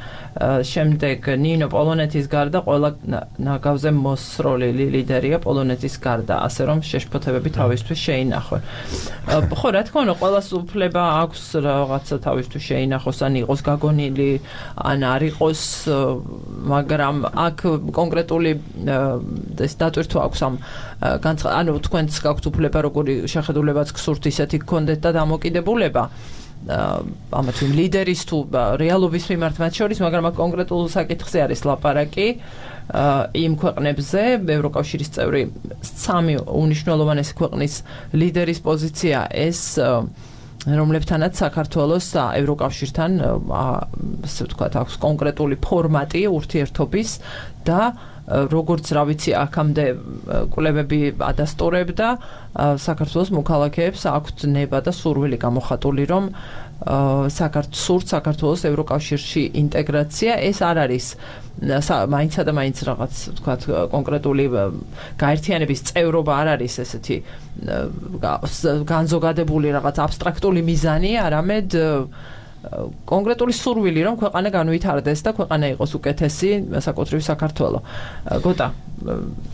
შემდეგ ნინო პოლონეთის გარდა ყველა ნაგავზე მოსროლილი ლიდერია პოლონეთის გარდა ასე რომ შეშფოთებები თავისთვის შეინახონ ხო რა თქმა უნდა ყველას უფლება აქვს რაღაცა თავისთვის შეინახოს ან იყოს გაგონილი ან არ იყოს მაგრამ აქ კონკრეტული დატვირთვა აქვს ამ ანუ თქვენც გაქვთ უფლება როგორი შეხედულებაც გსურთ ისეთი გქონდეთ და დამოკიდებულება ამათ იმ ლიდერის თუ რეალობის მიმართ მათ შორის მაგრამ აქ კონკრეტულ საკითხზე არის ლაპარაკი იმ ქვეყნებზე ევროკავშირის წევრი 3 უნიშნელოვანესი ქვეყნის ლიდერის პოზიცია ეს რომლებთანაც საქართველოს ევროკავშირთან ასე ვთქვათ აქვს კონკრეტული ფორმატი ურთიერთობის და როგორც რა ვიცი აქამდე კვლევები ადასტურებდა საქართველოს მოქალაქეებს აქვთ ნება და სურვილი გამოხატული რომ საქართველოს ევროკავშირში ინტეგრაცია ეს არ არის მაინცსა და მაინც რაღაც ვთქვათ კონკრეტული გაერთიანების წევრობა არ არის ესეთი განზოგადებული რაღაც აბსტრაქტული მიზანი არამედ კონკრეტული სურვილი რომ ქვეყანა განვითარდეს და ქვეყანა იყოს უკეთესი საკუთრივ საქართველო. გოტა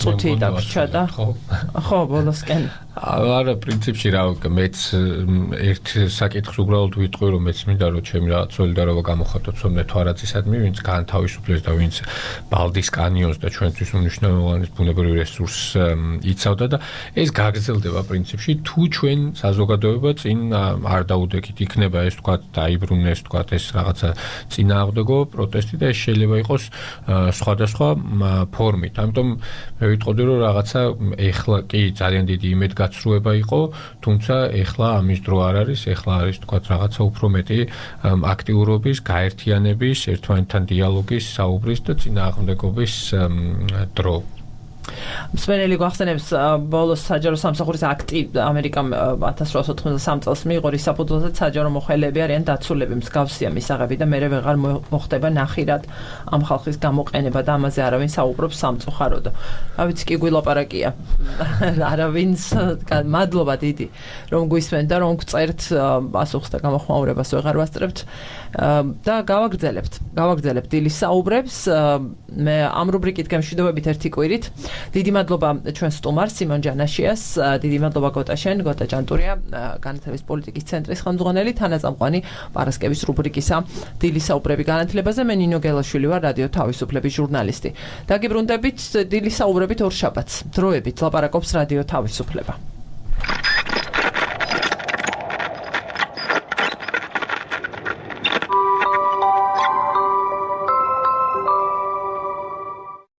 წუთი დაგვრჩა და ხო ბოლოსკენ არა პრინციპში რა მეც ერთ საკითხს უბრალოდ ვიტყვი რომ მეც მინდა რომ ჩემი რაღაც სოლიდარობა გამოხატო ცოდნე თვარაცისადმი ვინც განთავისუფლეს და ვინც ბალდის კანიონს და ჩვენთვის უნიშნავენ ბუნებრივ რესურსს იცავდა და ეს გაგრძელდება პრინციპში თუ ჩვენ საზოგადოება წინ არ დაუდექით იქნება ეს თქვა დაიბრუნეს თქვა ეს რაღაცა წინააღმდეგო პროტესტი და ეს შეიძლება იყოს სხვადასხვა ფორმით ამიტომ მე ვიტყოდი რომ რაღაცა ეხლა კი ძალიან დიდი იმედგაცრუება იყო თუმცა ეხლა ამის დრო არ არის ეხლა არის თქვა რაღაცა უფრო მეტი აქტიურობის გაერთიანების ერთმანეთთან დიალოგის საუბრის და წინააღმდეგობის დრო მსმენელი გვახსენებს ბოლოს საჯარო სამსახურის აქტი ამერიკამ 1893 წელს მიიღო რის საფუძველზე საჯარო მოხელეები არიან დაცულები მსგავსია მისაღები და მერე ვეღარ მოხდება ნახირად ამ ხალხის გამოყენება და ამაზე არავინ საუბრობს სამწუხაროდ. ავიც კი გვილაპარაკია არავინს მადლობა დიდი რომ გვისმენთ და რომ გწერთ პასუხს და გამოხმაურებას ვეღარ ვასწრებთ და გავაგრძელებთ დილის საუბრებს მე ამ რუბრიკით გემშვიდობებით ერთი კვირით დიდი მადლობა ჩვენ სტუმარს სიმონ ჯანაშიას დიდი მადლობა გოტაშენ გოტა ჯანტურია განათლების პოლიტიკის ცენტრის ხელმძღვანელი თანაწამყვანი პარასკევის რუბრიკისა დილის საუბრები განათლებაზე მე ნინო გელაშვილი ვარ რადიო თავისუფლების ჟურნალისტი დაგიბრუნდებით დილის საუბრებით ორ შაბათს დროებით ლაპარაკობს რადიო თავისუფლება